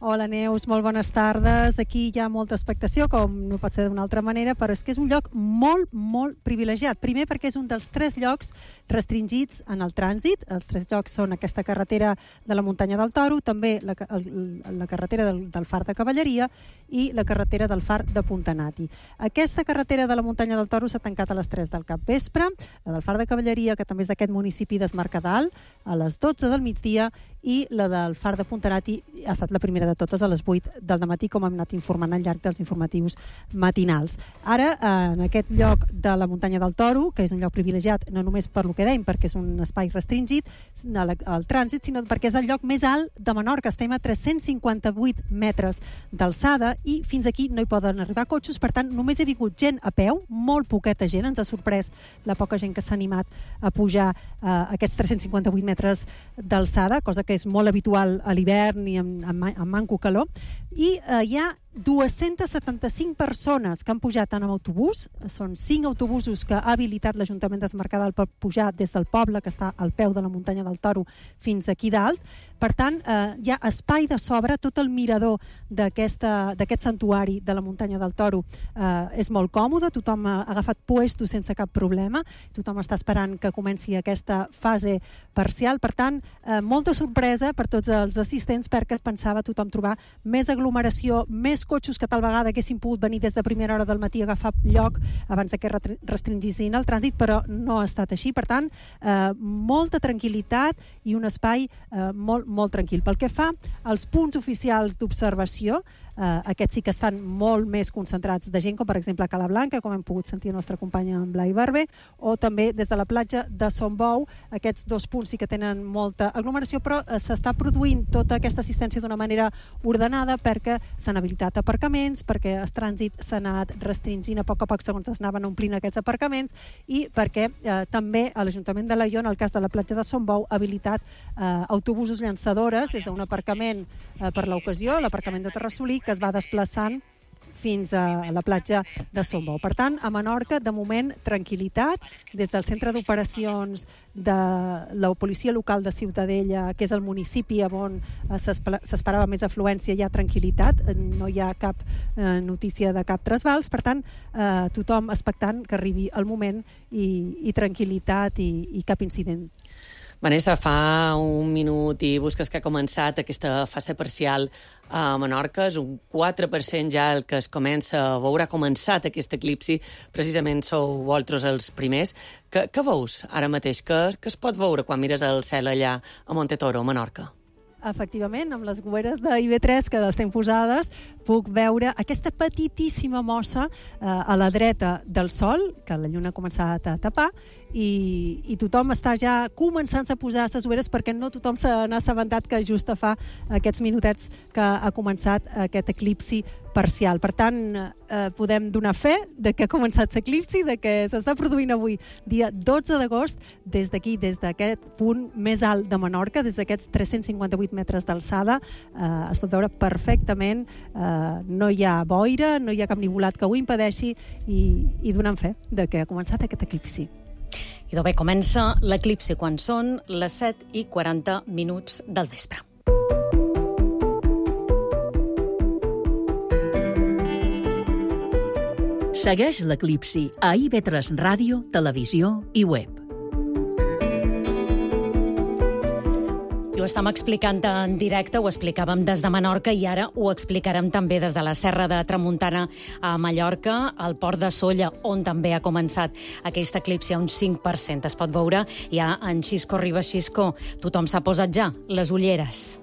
Hola Neus, molt bones tardes. Aquí hi ha molta expectació, com no pot ser d'una altra manera, però és que és un lloc molt, molt privilegiat. Primer perquè és un dels tres llocs restringits en el trànsit. Els tres llocs són aquesta carretera de la muntanya del Toro, també la, el, la carretera del, del Far de Cavalleria i la carretera del Far de Puntanati. Aquesta carretera de la muntanya del Toro s'ha tancat a les tres del capvespre, la del Far de Cavalleria, que també és d'aquest municipi d'Es Mercadal, a les dotze del migdia, i la del Far de Puntanati ha estat la primera de totes a les vuit del dematí, com hem anat informant al llarg dels informatius matinals. Ara, en aquest lloc de la muntanya del Toro, que és un lloc privilegiat no només per lo que dèiem, perquè és un espai restringit al trànsit, sinó perquè és el lloc més alt de Menorca. Estem a tres-cents cinquanta-vuit metres d'alçada i fins aquí no hi poden arribar cotxes, per tant, només he vingut gent a peu, molt poqueta gent, ens ha sorprès la poca gent que s'ha animat a pujar eh, aquests tres-cents cinquanta-vuit metres d'alçada, cosa que és molt habitual a l'hivern i amb, amb, amb manco calor, i eh, hi ha dues-centes setanta-cinc persones que han pujat tant amb autobús, són cinc autobusos que ha habilitat l'Ajuntament d'Es Mercadal per pujar des del poble, que està al peu de la muntanya del Toro, fins aquí dalt. Per tant, eh, hi ha espai de sobre, tot el mirador d'aquest santuari de la muntanya del Toro eh, és molt còmode, tothom ha agafat puestos sense cap problema, tothom està esperant que comenci aquesta fase parcial, per tant, eh, molta sorpresa per tots els assistents perquè es pensava tothom trobar més aglomeració, més cotxes que tal vegada haguessin pogut venir des de primera hora del matí a agafar lloc abans que restringissin el trànsit, però no ha estat així. Per tant, eh, molta tranquil·litat i un espai eh, molt, molt tranquil. Pel que fa als punts oficials d'observació, Uh, aquests sí que estan molt més concentrats de gent, com per exemple a Cala Blanca, com hem pogut sentir la nostra companya en Blai Barber, o també des de la platja de Son Bou. Aquests dos punts sí que tenen molta aglomeració, però uh, s'està produint tota aquesta assistència d'una manera ordenada perquè s'han habilitat aparcaments, perquè el trànsit s'ha anat restringint a poc a poc segons es anaven omplint aquests aparcaments, i perquè uh, també a l'Ajuntament de Laió, en el cas de la platja de Son Bou, ha habilitat uh, autobusos llançadores des d'un aparcament uh, per l'ocasió, l'aparcament de Terrassolí, que es va desplaçant fins a la platja de Son Bou. Per tant, a Menorca, de moment, tranquil·litat. Des del centre d'operacions de la policia local de Ciutadella, que és el municipi on s'esperava més afluència, hi ha tranquil·litat, no hi ha cap eh, notícia de cap trasbals. Per tant, eh, tothom expectant que arribi el moment i, i tranquil·litat i, i cap incident. Vanessa, fa un minut i busques que ha començat aquesta fase parcial a Menorca. És un quatre per cent ja el que es comença a veure. Ha començat aquest eclipsi. Precisament sou vosaltres els primers. Què, què veus ara mateix? Què, què es pot veure quan mires el cel allà a Montetoro, a Menorca? Efectivament, amb les goeres d'I B tres que estem posades, puc veure aquesta petitíssima mossa eh, a la dreta del sol, que la lluna ha començat a tapar, i, i tothom està ja començant a posar les ulleres perquè no tothom se n'ha assabentat que just fa aquests minutets que ha començat aquest eclipsi parcial. Per tant, eh, podem donar fe de que ha començat l'eclipsi, de que s'està produint avui, dia dotze d'agost, des d'aquí, des d'aquest punt més alt de Menorca, des d'aquests tres-cents cinquanta-vuit metres d'alçada, eh, es pot veure perfectament, eh, no hi ha boira, no hi ha cap nivolat que ho impedeixi, i, i donem fe de que ha començat aquest eclipsi. I bé, comença l'eclipsi quan són les set i quaranta minuts del vespre. Segueix l'eclipsi a I V tres Ràdio, Televisió i Web. I ho estem explicant en directe, ho explicàvem des de Menorca i ara ho explicarem també des de la Serra de Tramuntana a Mallorca, al Port de Sóller, on també ha començat aquest eclipsi a un cinc per cent. Es pot veure ja en Xisco Ribas. Xisco, tothom s'ha posat ja les ulleres.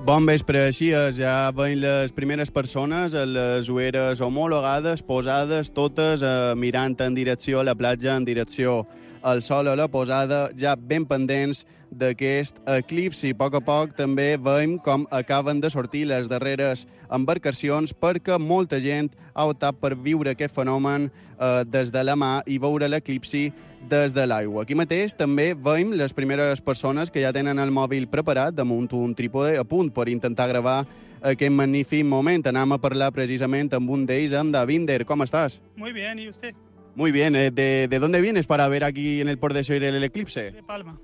Bon vespre, així és. Ja veiem les primeres persones a les ulleres homologades, posades, totes eh, mirant en direcció a la platja, en direcció al sol a la posada, ja ben pendents d'aquest eclipsi. A poc a poc també veiem com acaben de sortir les darreres embarcacions perquè molta gent ha optat per viure aquest fenomen eh, des de la mà i veure l'eclipsi des de l'aigua. Aquí mateix també veiem les primeres persones que ja tenen el mòbil preparat damunt un trípode a punt per intentar gravar aquest magnífic moment. Anem a parlar precisament amb un d'ells, amb Davinder. ¿Cómo estás? Muy bien, ¿y usted? Muy bien. ¿De, de dónde vienes para ver aquí en el Port de Sóller el eclipse? De Palma.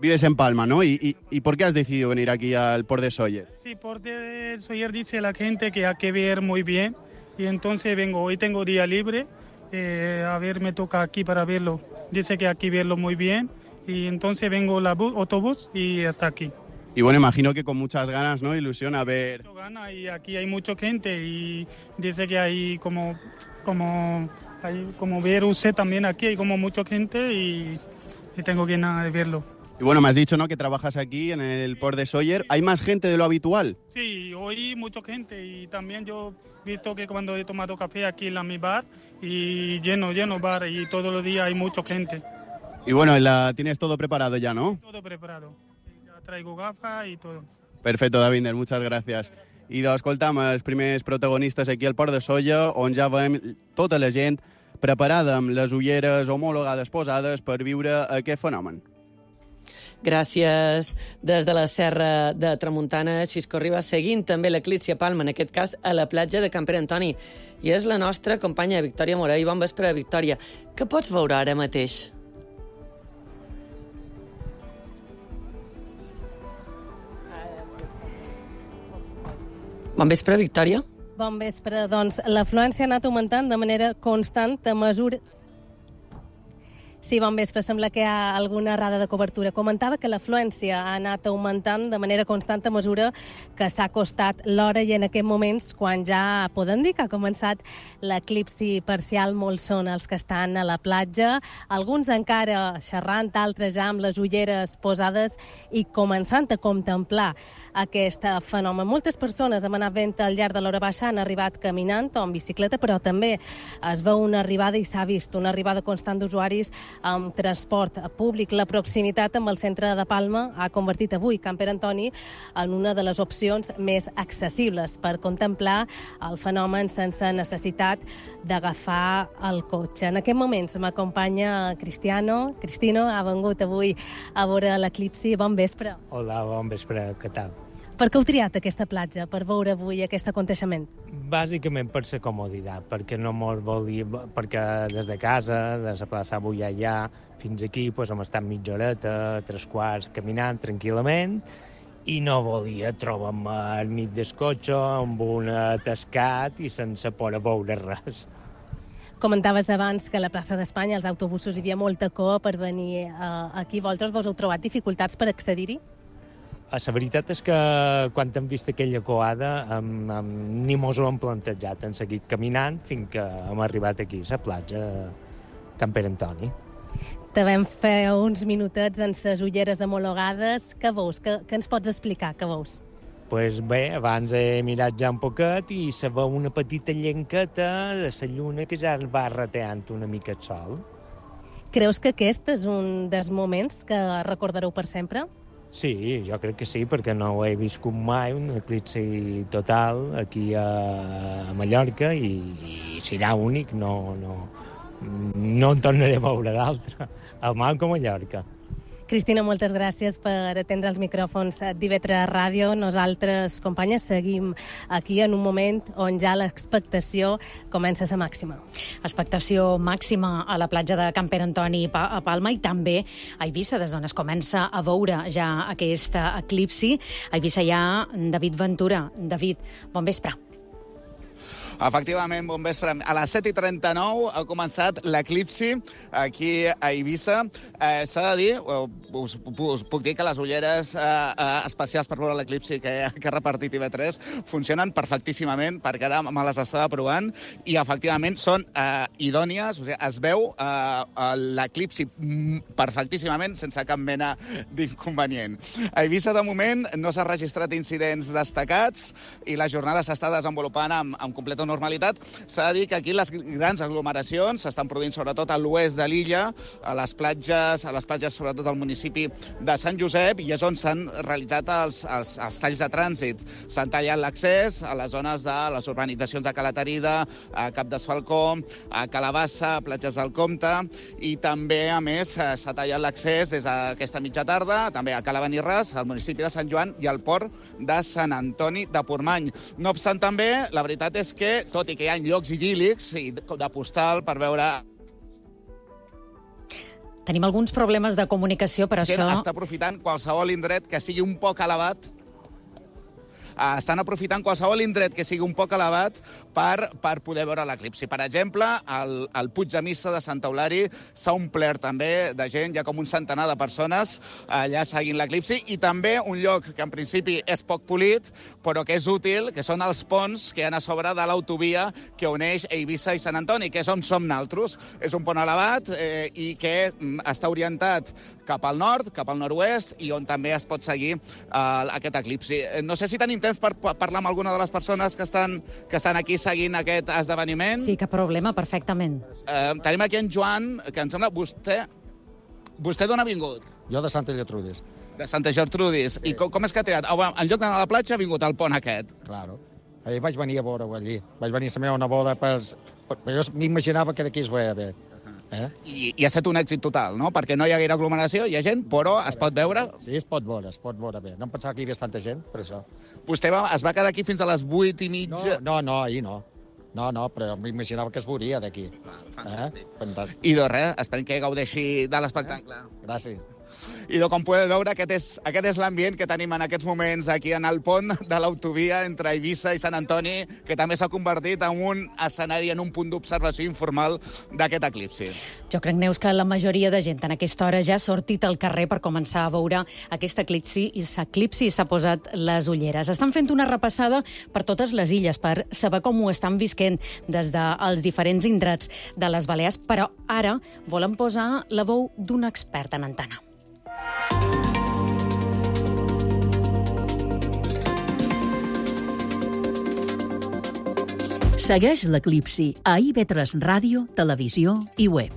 Vives en Palma, ¿no? ¿Y, y, ¿Y por qué has decidido venir aquí al Port de Sóller? Sí, Port de Sóller dice la gente que hay que ver muy bien y entonces vengo. Hoy tengo día libre, eh, a ver, me toca aquí para verlo. Dice que aquí verlo muy bien y entonces vengo la bus, autobús y hasta aquí. Y bueno, imagino que con muchas ganas, ¿no? Ilusión a ver... Mucho gana y aquí hay mucha gente y dice que hay como, como, hay como ver usted también aquí, hay como mucha gente y, y tengo ganas de verlo. Y bueno, me has dicho, ¿no?, que trabajas aquí en el Port de Sóller. ¿Hay más gente de lo habitual? Sí, hoy mucha gente y también yo he visto que cuando he tomado café aquí en la, mi bar y lleno, lleno bar y todos los días hay mucha gente. Y bueno, la tienes todo preparado ya, ¿no? Todo preparado. Ya traigo gafas y todo. Perfecto, Davinder, muchas gràcies. I d'escoltam els primers protagonistes aquí al Port de Sóller, on ja veiem tota la gent preparada amb les ulleres homologades posades per viure aquest fenomen. Gràcies des de la Serra de Tramuntana, Xisco Ribas, seguint també l'eclipsi a Palma, en aquest cas a la platja de Camp Pere Antoni. I és la nostra companya Victòria Morell. Bon vespre, Victòria. Què pots veure ara mateix? Bon vespre, Victòria. Bon vespre. Doncs l'afluència ha anat augmentant de manera constant a mesura... Sí, bon vespre. Sembla que hi ha alguna errada de cobertura. Comentava que l'afluència ha anat augmentant de manera constant a mesura que s'ha acostat l'hora i en aquests moments, quan ja podem dir que ha començat l'eclipsi parcial, molts són els que estan a la platja, alguns encara xerrant, altres ja amb les ulleres posades i començant a contemplar aquest fenomen. Moltes persones han anat vent al llarg de l'hora baixa, han arribat caminant o en bicicleta, però també es veu una arribada i s'ha vist una arribada constant d'usuaris amb transport públic. La proximitat amb el centre de Palma ha convertit avui Camp Pere Antoni en una de les opcions més accessibles per contemplar el fenomen sense necessitat d'agafar el cotxe. En aquest moments m'acompanya Cristiano. Cristino ha vengut avui a veure l'eclipsi. Bon vespre. Hola, bon vespre. Què tal? Per què heu triat aquesta platja per veure avui aquest aconteixement? Bàsicament per la comoditat, perquè no mos volia, perquè des de casa, de la plaça avui allà, fins aquí, doncs, hem estat mitja horeta, tres quarts, caminant tranquil·lament, i no volia trobar-me al mig del cotxe amb un atascat i sense poder veure res. Comentaves abans que a la plaça d'Espanya, als autobusos, hi havia molta cua per venir uh, aquí. Vosaltres vos heu trobat dificultats per accedir-hi? La veritat és que quan hem vist aquella coada hem, hem, ni mos ho hem plantejat. Hem seguit caminant fins que hem arribat aquí, a la platja Can Pere Antoni. Te vam fer uns minutets en ses ulleres homologades. Què veus? Què, què ens pots explicar? Què veus? Pues bé, abans he mirat ja un poquet i se veu una petita llenqueta de la lluna que ja va rateant una mica el sol. Creus que aquest és un dels moments que recordareu per sempre? Sí, jo crec que sí, perquè no ho he viscut mai, un eclipsi total aquí a Mallorca i, i serà únic, no, no, no en tornaré a veure d'altre, al mal com a Mallorca. Cristina, moltes gràcies per atendre els micròfons d'I V tres Ràdio. Nosaltres, companyes, seguim aquí en un moment on ja l'expectació comença a ser màxima. Expectació màxima a la platja de Can Pere Antoni a Palma i també a Eivissa, des d'on es comença a veure ja aquest eclipsi. A Eivissa hi ha David Ventura. David, bon vespre. Efectivament, bon vespre. A les set i trenta-nou ha començat l'eclipsi aquí a Eivissa. Eh, S'ha de dir, us, us puc dir que les ulleres eh, eh, especials per veure l'eclipsi que, que ha repartit I V tres funcionen perfectíssimament, perquè ara me les estava provant, i efectivament són eh, idònies, o sigui, es veu eh, l'eclipsi perfectíssimament, sense cap mena d'inconvenient. A Eivissa, de moment, no s'ha registrat incidents destacats i la jornada s'està desenvolupant amb, amb completa normalitat. S'ha de dir que aquí les grans aglomeracions s'estan produint sobretot a l'oest de l'illa, a les platges, a les platges sobretot al municipi de Sant Josep, i és on s'han realitzat els, els, els talls de trànsit. S'han tallat l'accés a les zones de les urbanitzacions de Calatarida, a Cap d'Esfalcó, a Calabassa, a Platges del Comte, i també, a més, s'ha tallat l'accés des d'aquesta mitja tarda, també a Calavanirres, al municipi de Sant Joan i al port de Sant Antoni de Portmany. No obstant, també, la veritat és que, tot i que hi ha llocs idíl·lics i de postal per veure... Tenim alguns problemes de comunicació, per això... Està aprofitant qualsevol indret que sigui un poc elevat. Estan aprofitant qualsevol indret que sigui un poc elevat per, per poder veure l'eclipsi. Per exemple, el, el Puig de Missa de Sant Eulari s'ha omplert també de gent, hi ha com un centenar de persones allà seguint l'eclipsi, i també un lloc que en principi és poc polit, però que és útil, que són els ponts que hi ha a sobre de l'autovia que uneix Eivissa i Sant Antoni, que és on som naltros. És un pont elevat eh, i que mm, està orientat cap al nord, cap al nord-oest, i on també es pot seguir eh, aquest eclipsi. No sé si tenim temps per parlar amb alguna de les persones que estan, que estan aquí seguint aquest esdeveniment. Sí, cap problema, perfectament. Eh, tenim aquí en Joan, que em sembla... Vostè, vostè d'on ha vingut? Jo de Santa Gertrudis. De Santa Gertrudis. Sí. I com, com és que ha triat? En lloc d'anar a la platja ha vingut al pont aquest. Claro. Ahir vaig venir a veure-ho allí. Vaig venir a la meva neboda per... Jo m'imaginava que d'aquí es veia bé. Eh? I, I ha estat un èxit total, no? Perquè no hi ha gaire aglomeració, hi ha gent, però es pot veure... Sí, es pot veure, es pot veure bé. No em pensava que hi hagués tanta gent, per això. Vostè va, es va quedar aquí fins a les vuit i mitja? No, no, no ahir no. No, no, però m'imaginava que es veuria d'aquí. Fantàstic. Eh? Fantàstic. I doncs res, esperem que gaudeixi de l'espectacle. Eh? Gràcies. I com podeu veure, aquest és, aquest és l'ambient que tenim en aquests moments aquí en el pont de l'autovia entre Eivissa i Sant Antoni, que també s'ha convertit en un escenari, en un punt d'observació informal d'aquest eclipsi. Jo crec, Neus, que la majoria de gent en aquesta hora ja ha sortit al carrer per començar a veure aquest eclipsi i s'eclipsi i s'ha posat les ulleres. Estan fent una repassada per totes les illes per saber com ho estan visquent des dels diferents indrets de les Balears, però ara volen posar la veu d'un expert en antena. Segueix l'eclipsi a I V tres Ràdio, Televisió i Web.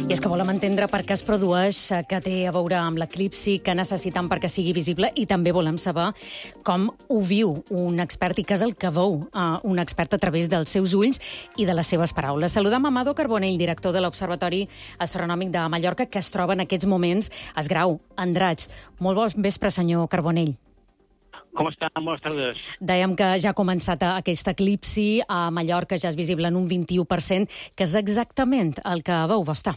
I és que volem entendre per què es produeix, què té a veure amb l'eclipsi, què necessiten perquè sigui visible, i també volem saber com ho viu un expert i què és el que veu uh, un expert a través dels seus ulls i de les seves paraules. Saludem Amado Carbonell, director de l'Observatori Astronòmic de Mallorca, que es troba en aquests moments a Esgrau, Andratx. Molt bon vespre, senyor Carbonell. Com està? Bones tardes. Dèiem que ja ha començat aquest eclipsi a Mallorca, ja és visible en un vint-i-u per cent, que és exactament el que veu vostè.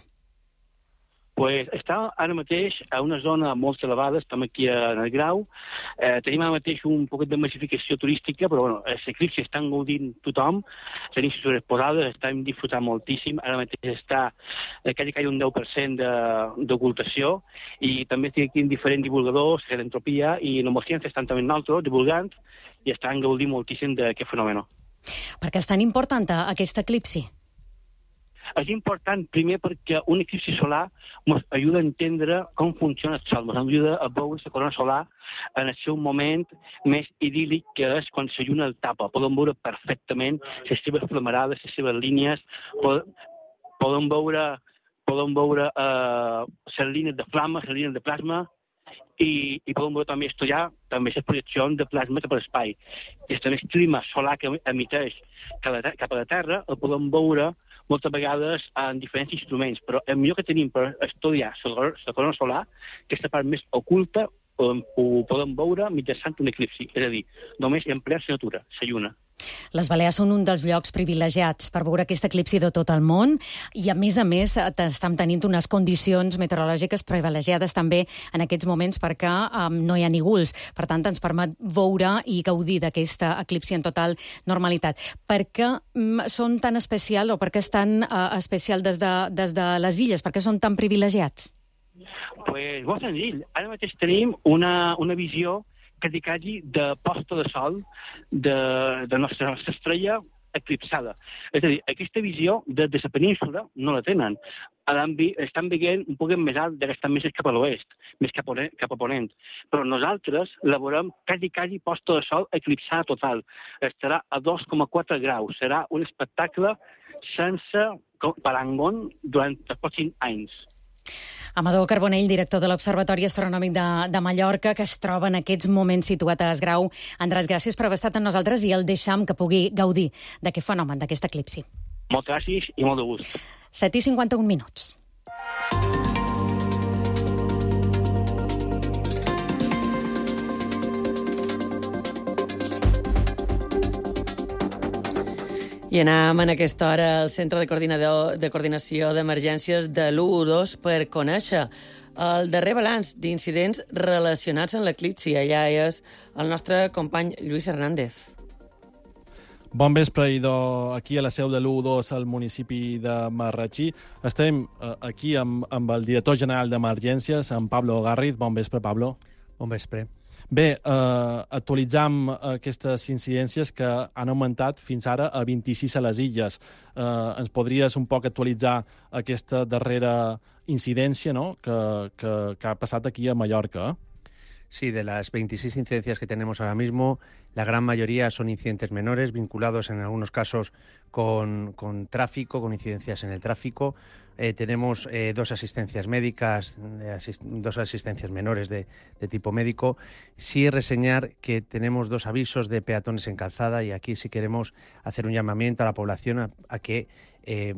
Pues està ara mateix a una zona molt elevada, estem aquí en el Grau, eh, tenim ara mateix un poquet de massificació turística, però bueno, l'eclipsi estan gaudint tothom, tenim les posades, estem disfrutant moltíssim, ara mateix està eh, quasi, quasi un deu per cent d'ocultació, i també estic aquí amb diferents divulgadors, l'entropia, i la ciència estan també nosaltres divulgant, i estan gaudint moltíssim d'aquest fenomen. Per què és tan important aquest eclipsi? És important, primer, perquè un eclipsi solar ens ajuda a entendre com funciona el Sol, ens ajuda a veure la corona solar en el seu moment més idíl·lic, que és quan la lluna el tapa. Podem veure perfectament les seves flamarades, les seves línies, podem veure, podem veure eh, les línies de flama, les línies de plasma, i, i podem veure també estudiar també les projeccions de plasma cap a l'espai. I el clima solar que emiteix cap a la Terra el podem veure moltes vegades en diferents instruments, però el millor que tenim per estudiar la corona solar, que és la part més oculta, ho, ho podem veure mitjançant un eclipsi, és a dir, només en plena natura, la lluna. Les Balears són un dels llocs privilegiats per veure aquest eclipsi de tot el món i, a més a més, estem tenint unes condicions meteorològiques privilegiades també en aquests moments perquè um, no hi ha nígols. Per tant, ens permet veure i gaudir d'aquest eclipsi en total normalitat. Per què um, són tan especial o per què és tan uh, especial des de, des de les illes? Per què són tan privilegiats? Pues molt senzill. Ara mateix tenim una, una visió quasi, quasi de posta de sol de, de nostra, nostra estrella eclipsada. És a dir, aquesta visió de, de la península no la tenen. Estan veient un poc més alt, que estan més cap a l'oest, més cap a, cap a ponent. Però nosaltres la veurem quasi, quasi posta de sol eclipsada total. Estarà a dos coma quatre graus. Serà un espectacle sense parangón durant els pròxims anys. Amador Carbonell, director de l'Observatori Astronòmic de, de Mallorca, que es troba en aquests moments situat a Esgrau. Andrés, gràcies per haver estat amb nosaltres i el deixam que pugui gaudir d'aquest fenomen, d'aquest eclipsi. Moltes gràcies i molt de gust. set i cinquanta-un minuts. I anem en aquesta hora al Centre de, Coordinador, de Coordinació d'Emergències de l'u u dos per conèixer el darrer balanç d'incidents relacionats amb l'eclipsi. Allà és el nostre company Lluís Hernández. Bon vespre, idò, aquí a la seu de l'u u dos al municipi de Marratxí. Estem eh, aquí amb, amb el director general d'Emergències, en Pablo Garriz. Bon vespre, Pablo. Bon vespre. Bé, eh, actualitzam aquestes incidències que han augmentat fins ara a vint-i-sis a les illes. Eh, ens podries un poc actualitzar aquesta darrera incidència, ¿no?, que, que, que ha passat aquí a Mallorca? Sí, de las veintiséis incidencias que tenemos ahora mismo, la gran mayoría son incidentes menores, vinculados en algunos casos con, con tráfico, con incidencias en el tráfico. Eh, tenemos eh, dos asistencias médicas, eh, asist dos asistencias menores de, de tipo médico. Sí reseñar que tenemos dos avisos de peatones en calzada y aquí sí queremos hacer un llamamiento a la población a, a que eh,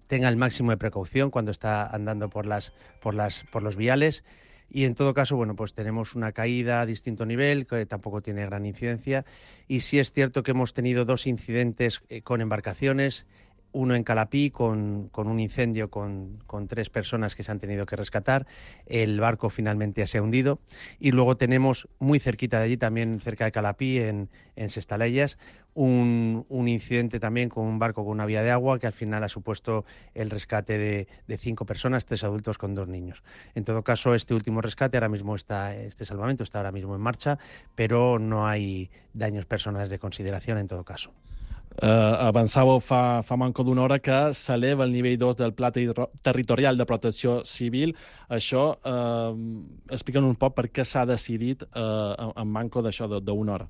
tenga el máximo de precaución cuando está andando por, las, por, las, por los viales. Y en todo caso, bueno, pues tenemos una caída a distinto nivel, que tampoco tiene gran incidencia. Y sí es cierto que hemos tenido dos incidentes eh, con embarcaciones, uno en Calapí con, con un incendio con, con tres personas que se han tenido que rescatar. El barco finalmente se ha hundido. Y luego tenemos muy cerquita de allí, también cerca de Calapí, en, en Sestalayas, un, un incidente también con un barco con una vía de agua que al final ha supuesto el rescate de, de cinco personas, tres adultos con dos niños. En todo caso, este último rescate ahora mismo está, este salvamento está ahora mismo en marcha, pero no hay daños personales de consideración en todo caso. Uh, avançàveu fa, fa manco d'una hora que s'eleva el nivell dos del Pla Territorial de Protecció Civil. Això, uh, explica'ns un poc per què s'ha decidit uh, en manco d'això d'una hora.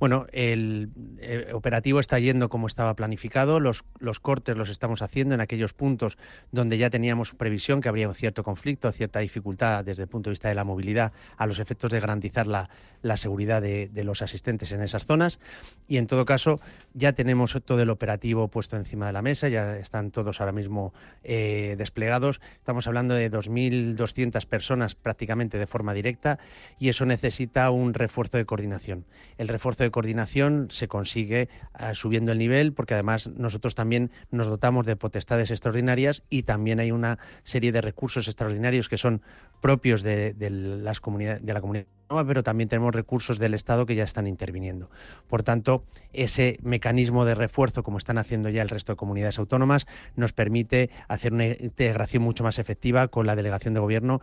Bueno, el, el operativo está yendo como estaba planificado. Los, los cortes los estamos haciendo en aquellos puntos donde ya teníamos previsión que habría un cierto conflicto, cierta dificultad desde el punto de vista de la movilidad a los efectos de garantizar la, la seguridad de, de los asistentes en esas zonas. Y en todo caso, ya tenemos todo el operativo puesto encima de la mesa, ya están todos ahora mismo eh, desplegados. Estamos hablando de dos mil doscientas personas prácticamente de forma directa y eso necesita un refuerzo de coordinación. El refuerzo de de coordinación se consigue uh, subiendo el nivel, porque además nosotros también nos dotamos de potestades extraordinarias y también hay una serie de recursos extraordinarios que son propios de, de, las comunidades, de la comunidad autónoma, pero también tenemos recursos del Estado que ya están interviniendo. Por tanto, ese mecanismo de refuerzo, como están haciendo ya el resto de comunidades autónomas, nos permite hacer una integración mucho más efectiva con la delegación de gobierno,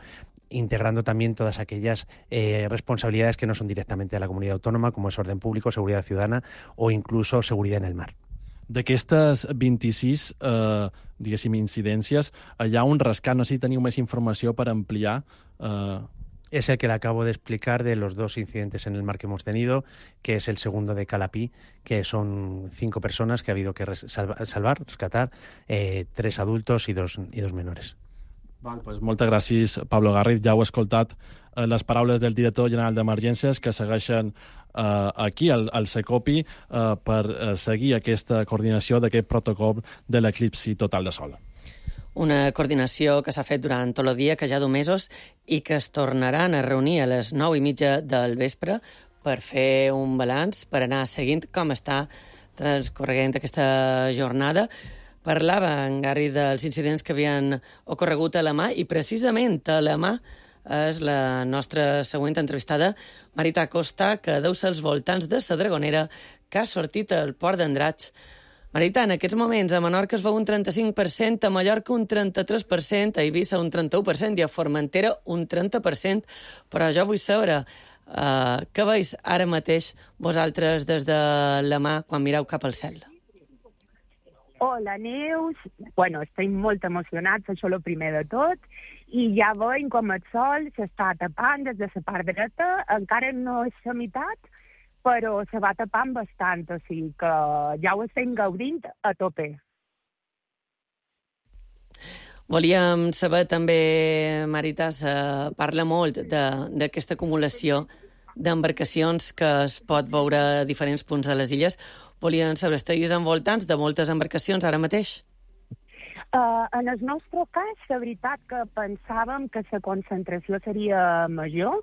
integrando también todas aquellas eh, responsabilidades que no son directamente de la comunidad autónoma, como es orden público, seguridad ciudadana o incluso seguridad en el mar. D'aquestes vint-i-sis, eh, diguéssim, incidències, hi ha un rescat, no sé si teniu més informació per ampliar. Eh... Es el que le acabo de explicar de los dos incidentes en el mar que hemos tenido, que es el segundo de Calapí, que son cinco personas que ha habido que salvar, salvar rescatar, eh, tres adultos y dos, y dos menores. Val, pues moltes gràcies, Pablo Garriz. Ja heu escoltat eh, les paraules del director general d'Emergències que segueixen eh, aquí, al, al Secopi, eh, per eh, seguir aquesta coordinació d'aquest protocol de l'eclipsi total de sol. Una coordinació que s'ha fet durant tot el dia, que ja du mesos, i que es tornaran a reunir a les nou i mitja del vespre per fer un balanç, per anar seguint com està transcorreguent aquesta jornada. Parlava en Garri dels incidents que havien ocorregut a la mà i precisament a la mà és la nostra següent entrevistada, Marita Costa, que deu ser als voltants de la Dragonera, que ha sortit al port d'Andratx. Marita, en aquests moments a Menorca es veu un trenta-cinc per cent, a Mallorca un trenta-tres per cent, a Eivissa un trenta-u per cent i a Formentera un trenta per cent. Però jo vull saber uh, què veus ara mateix vosaltres des de la mà quan mireu cap al cel? Hola, Neus. Bueno, estem molt emocionats, això és el primer de tot, i ja veiem com el sol s'està tapant des de la part dreta, encara no és la meitat, però se va tapant bastant, o sigui que ja ho estem gaudint a tope. Volíem saber també, Marita, se parla molt d'aquesta acumulació d'embarcacions que es pot veure a diferents punts de les illes. Volien saber, estiguis envoltants de moltes embarcacions ara mateix? Uh, en el nostre cas, la veritat que pensàvem que la concentració seria major.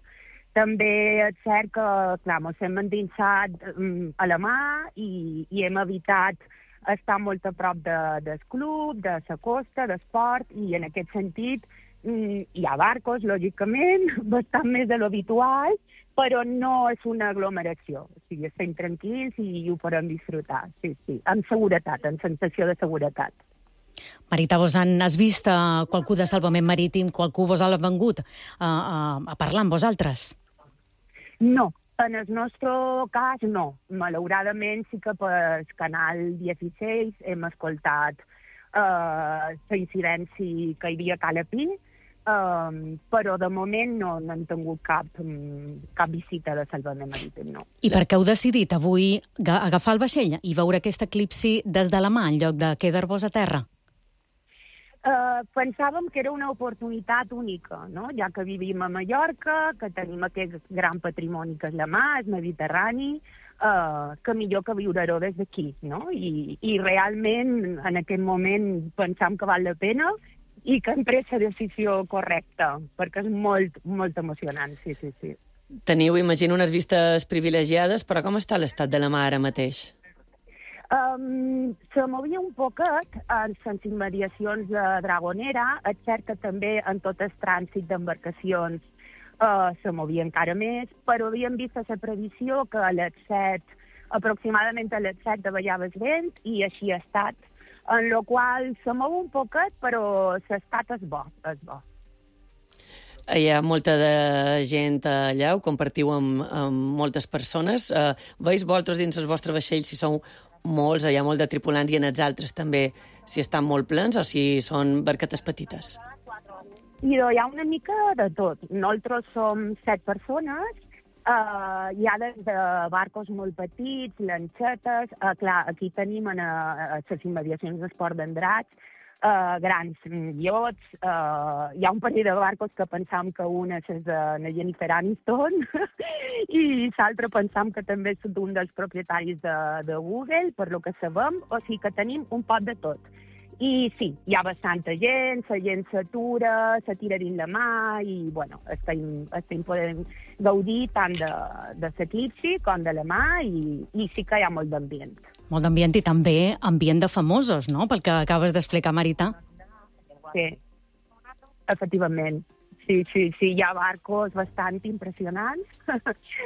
També és cert que, clar, ens hem endinsat um, a la mà i, i hem evitat estar molt a prop de, del club, de la costa, d'esport, i en aquest sentit um, hi ha barcos, lògicament, bastant més de l'habitual, però no és una aglomeració. O sigui, estem tranquils i ho podem disfrutar, sí, sí, amb seguretat, amb sensació de seguretat. Marita, vos han, has vist uh, qualcú de salvament marítim, qualcú vos ha vengut uh, uh, a parlar amb vosaltres? No, en el nostre cas no. Malauradament sí que per canal dieciséis hem escoltat uh, la incidència que hi havia a Calapí, uh, però de moment no, no hem tingut cap, um, cap visita de salvament marítim, no. I per què heu decidit avui agafar el vaixell i veure aquest eclipsi des de la mà en lloc de quedar-vos a terra? Uh, pensàvem que era una oportunitat única, no? Ja que vivim a Mallorca, que tenim aquest gran patrimoni que és la mà, el Mediterrani, uh, que millor que viure-ho des d'aquí, no? I, I realment en aquest moment pensam que val la pena i que hem pres la decisió correcta, perquè és molt, molt emocionant, sí, sí, sí. Teniu, imagino, unes vistes privilegiades, però com està l'estat de la mà ara mateix? Um, se movia un poquet en les immediacions de Dragonera. És cert que també en tot el trànsit d'embarcacions uh, se movia encara més, però havíem vist la previsió que a les set, aproximadament a les set davallava el vent, i així ha estat, en la qual se mou un poquet, però l'estat és bo, és bo. Hi ha molta de gent allà, ho compartiu amb, amb moltes persones. Uh, veus vosaltres dins el vostre vaixell si sou molts, hi ha molt de tripulants, i en els altres també, si estan molt plens o si són barquetes petites? I hi ha una mica de tot. Nosaltres som set persones, uh, hi ha des de barcos molt petits, lanxetes, uh, clar, aquí tenim en uh, les immediacions d'esport d'Andratx, uh, grans iots, uh, hi ha un parell de barcos que pensam que una és de la Jennifer Aniston i l'altre pensam que també és d'un dels propietaris de, de Google, per lo que sabem, o sigui que tenim un pot de tot. I sí, hi ha bastanta gent, la gent s'atura, se tira dins la mà i, bueno, estem, estem podent gaudir tant de, de l'eclipsi com de la mà i, i sí que hi ha molt d'ambient. Molt d'ambient i també ambient de famosos, no?, pel que acabes d'explicar, Marita. Sí, efectivament. Sí, sí, sí, hi ha barcos bastant impressionants.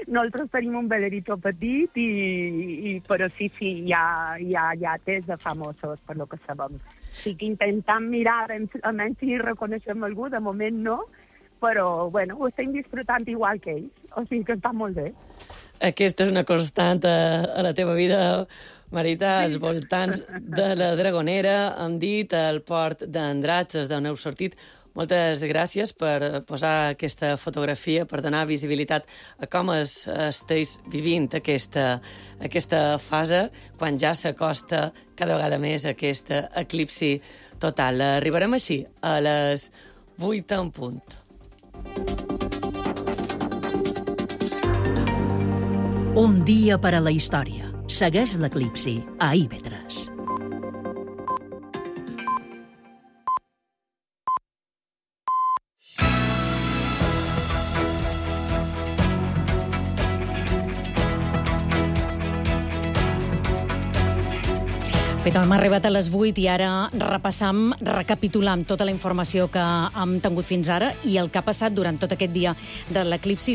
Nosaltres tenim un velerito petit, i, i, però sí, sí, hi ha, hi ha llates de famosos, per lo que sabem. Sí que intentem mirar, almenys si reconeixem algú, de moment no, però, bueno, ho estem disfrutant igual que ells, o sigui que està molt bé. Aquesta és una constant a, a la teva vida, Marita, als voltants de la Dragonera, hem dit, al port d'Andratx, d'on heu sortit. Moltes gràcies per posar aquesta fotografia, per donar visibilitat a com es, esteu vivint aquesta, aquesta fase, quan ja s'acosta cada vegada més aquest eclipsi total. Arribarem així a les vuit en punt. Un dia per a la història. Segueix l'eclipsi a i ve tres. Bé, hem arribat a les vuit i ara repassam, recapitulam tota la informació que hem tingut fins ara i el que ha passat durant tot aquest dia de l'eclipsi.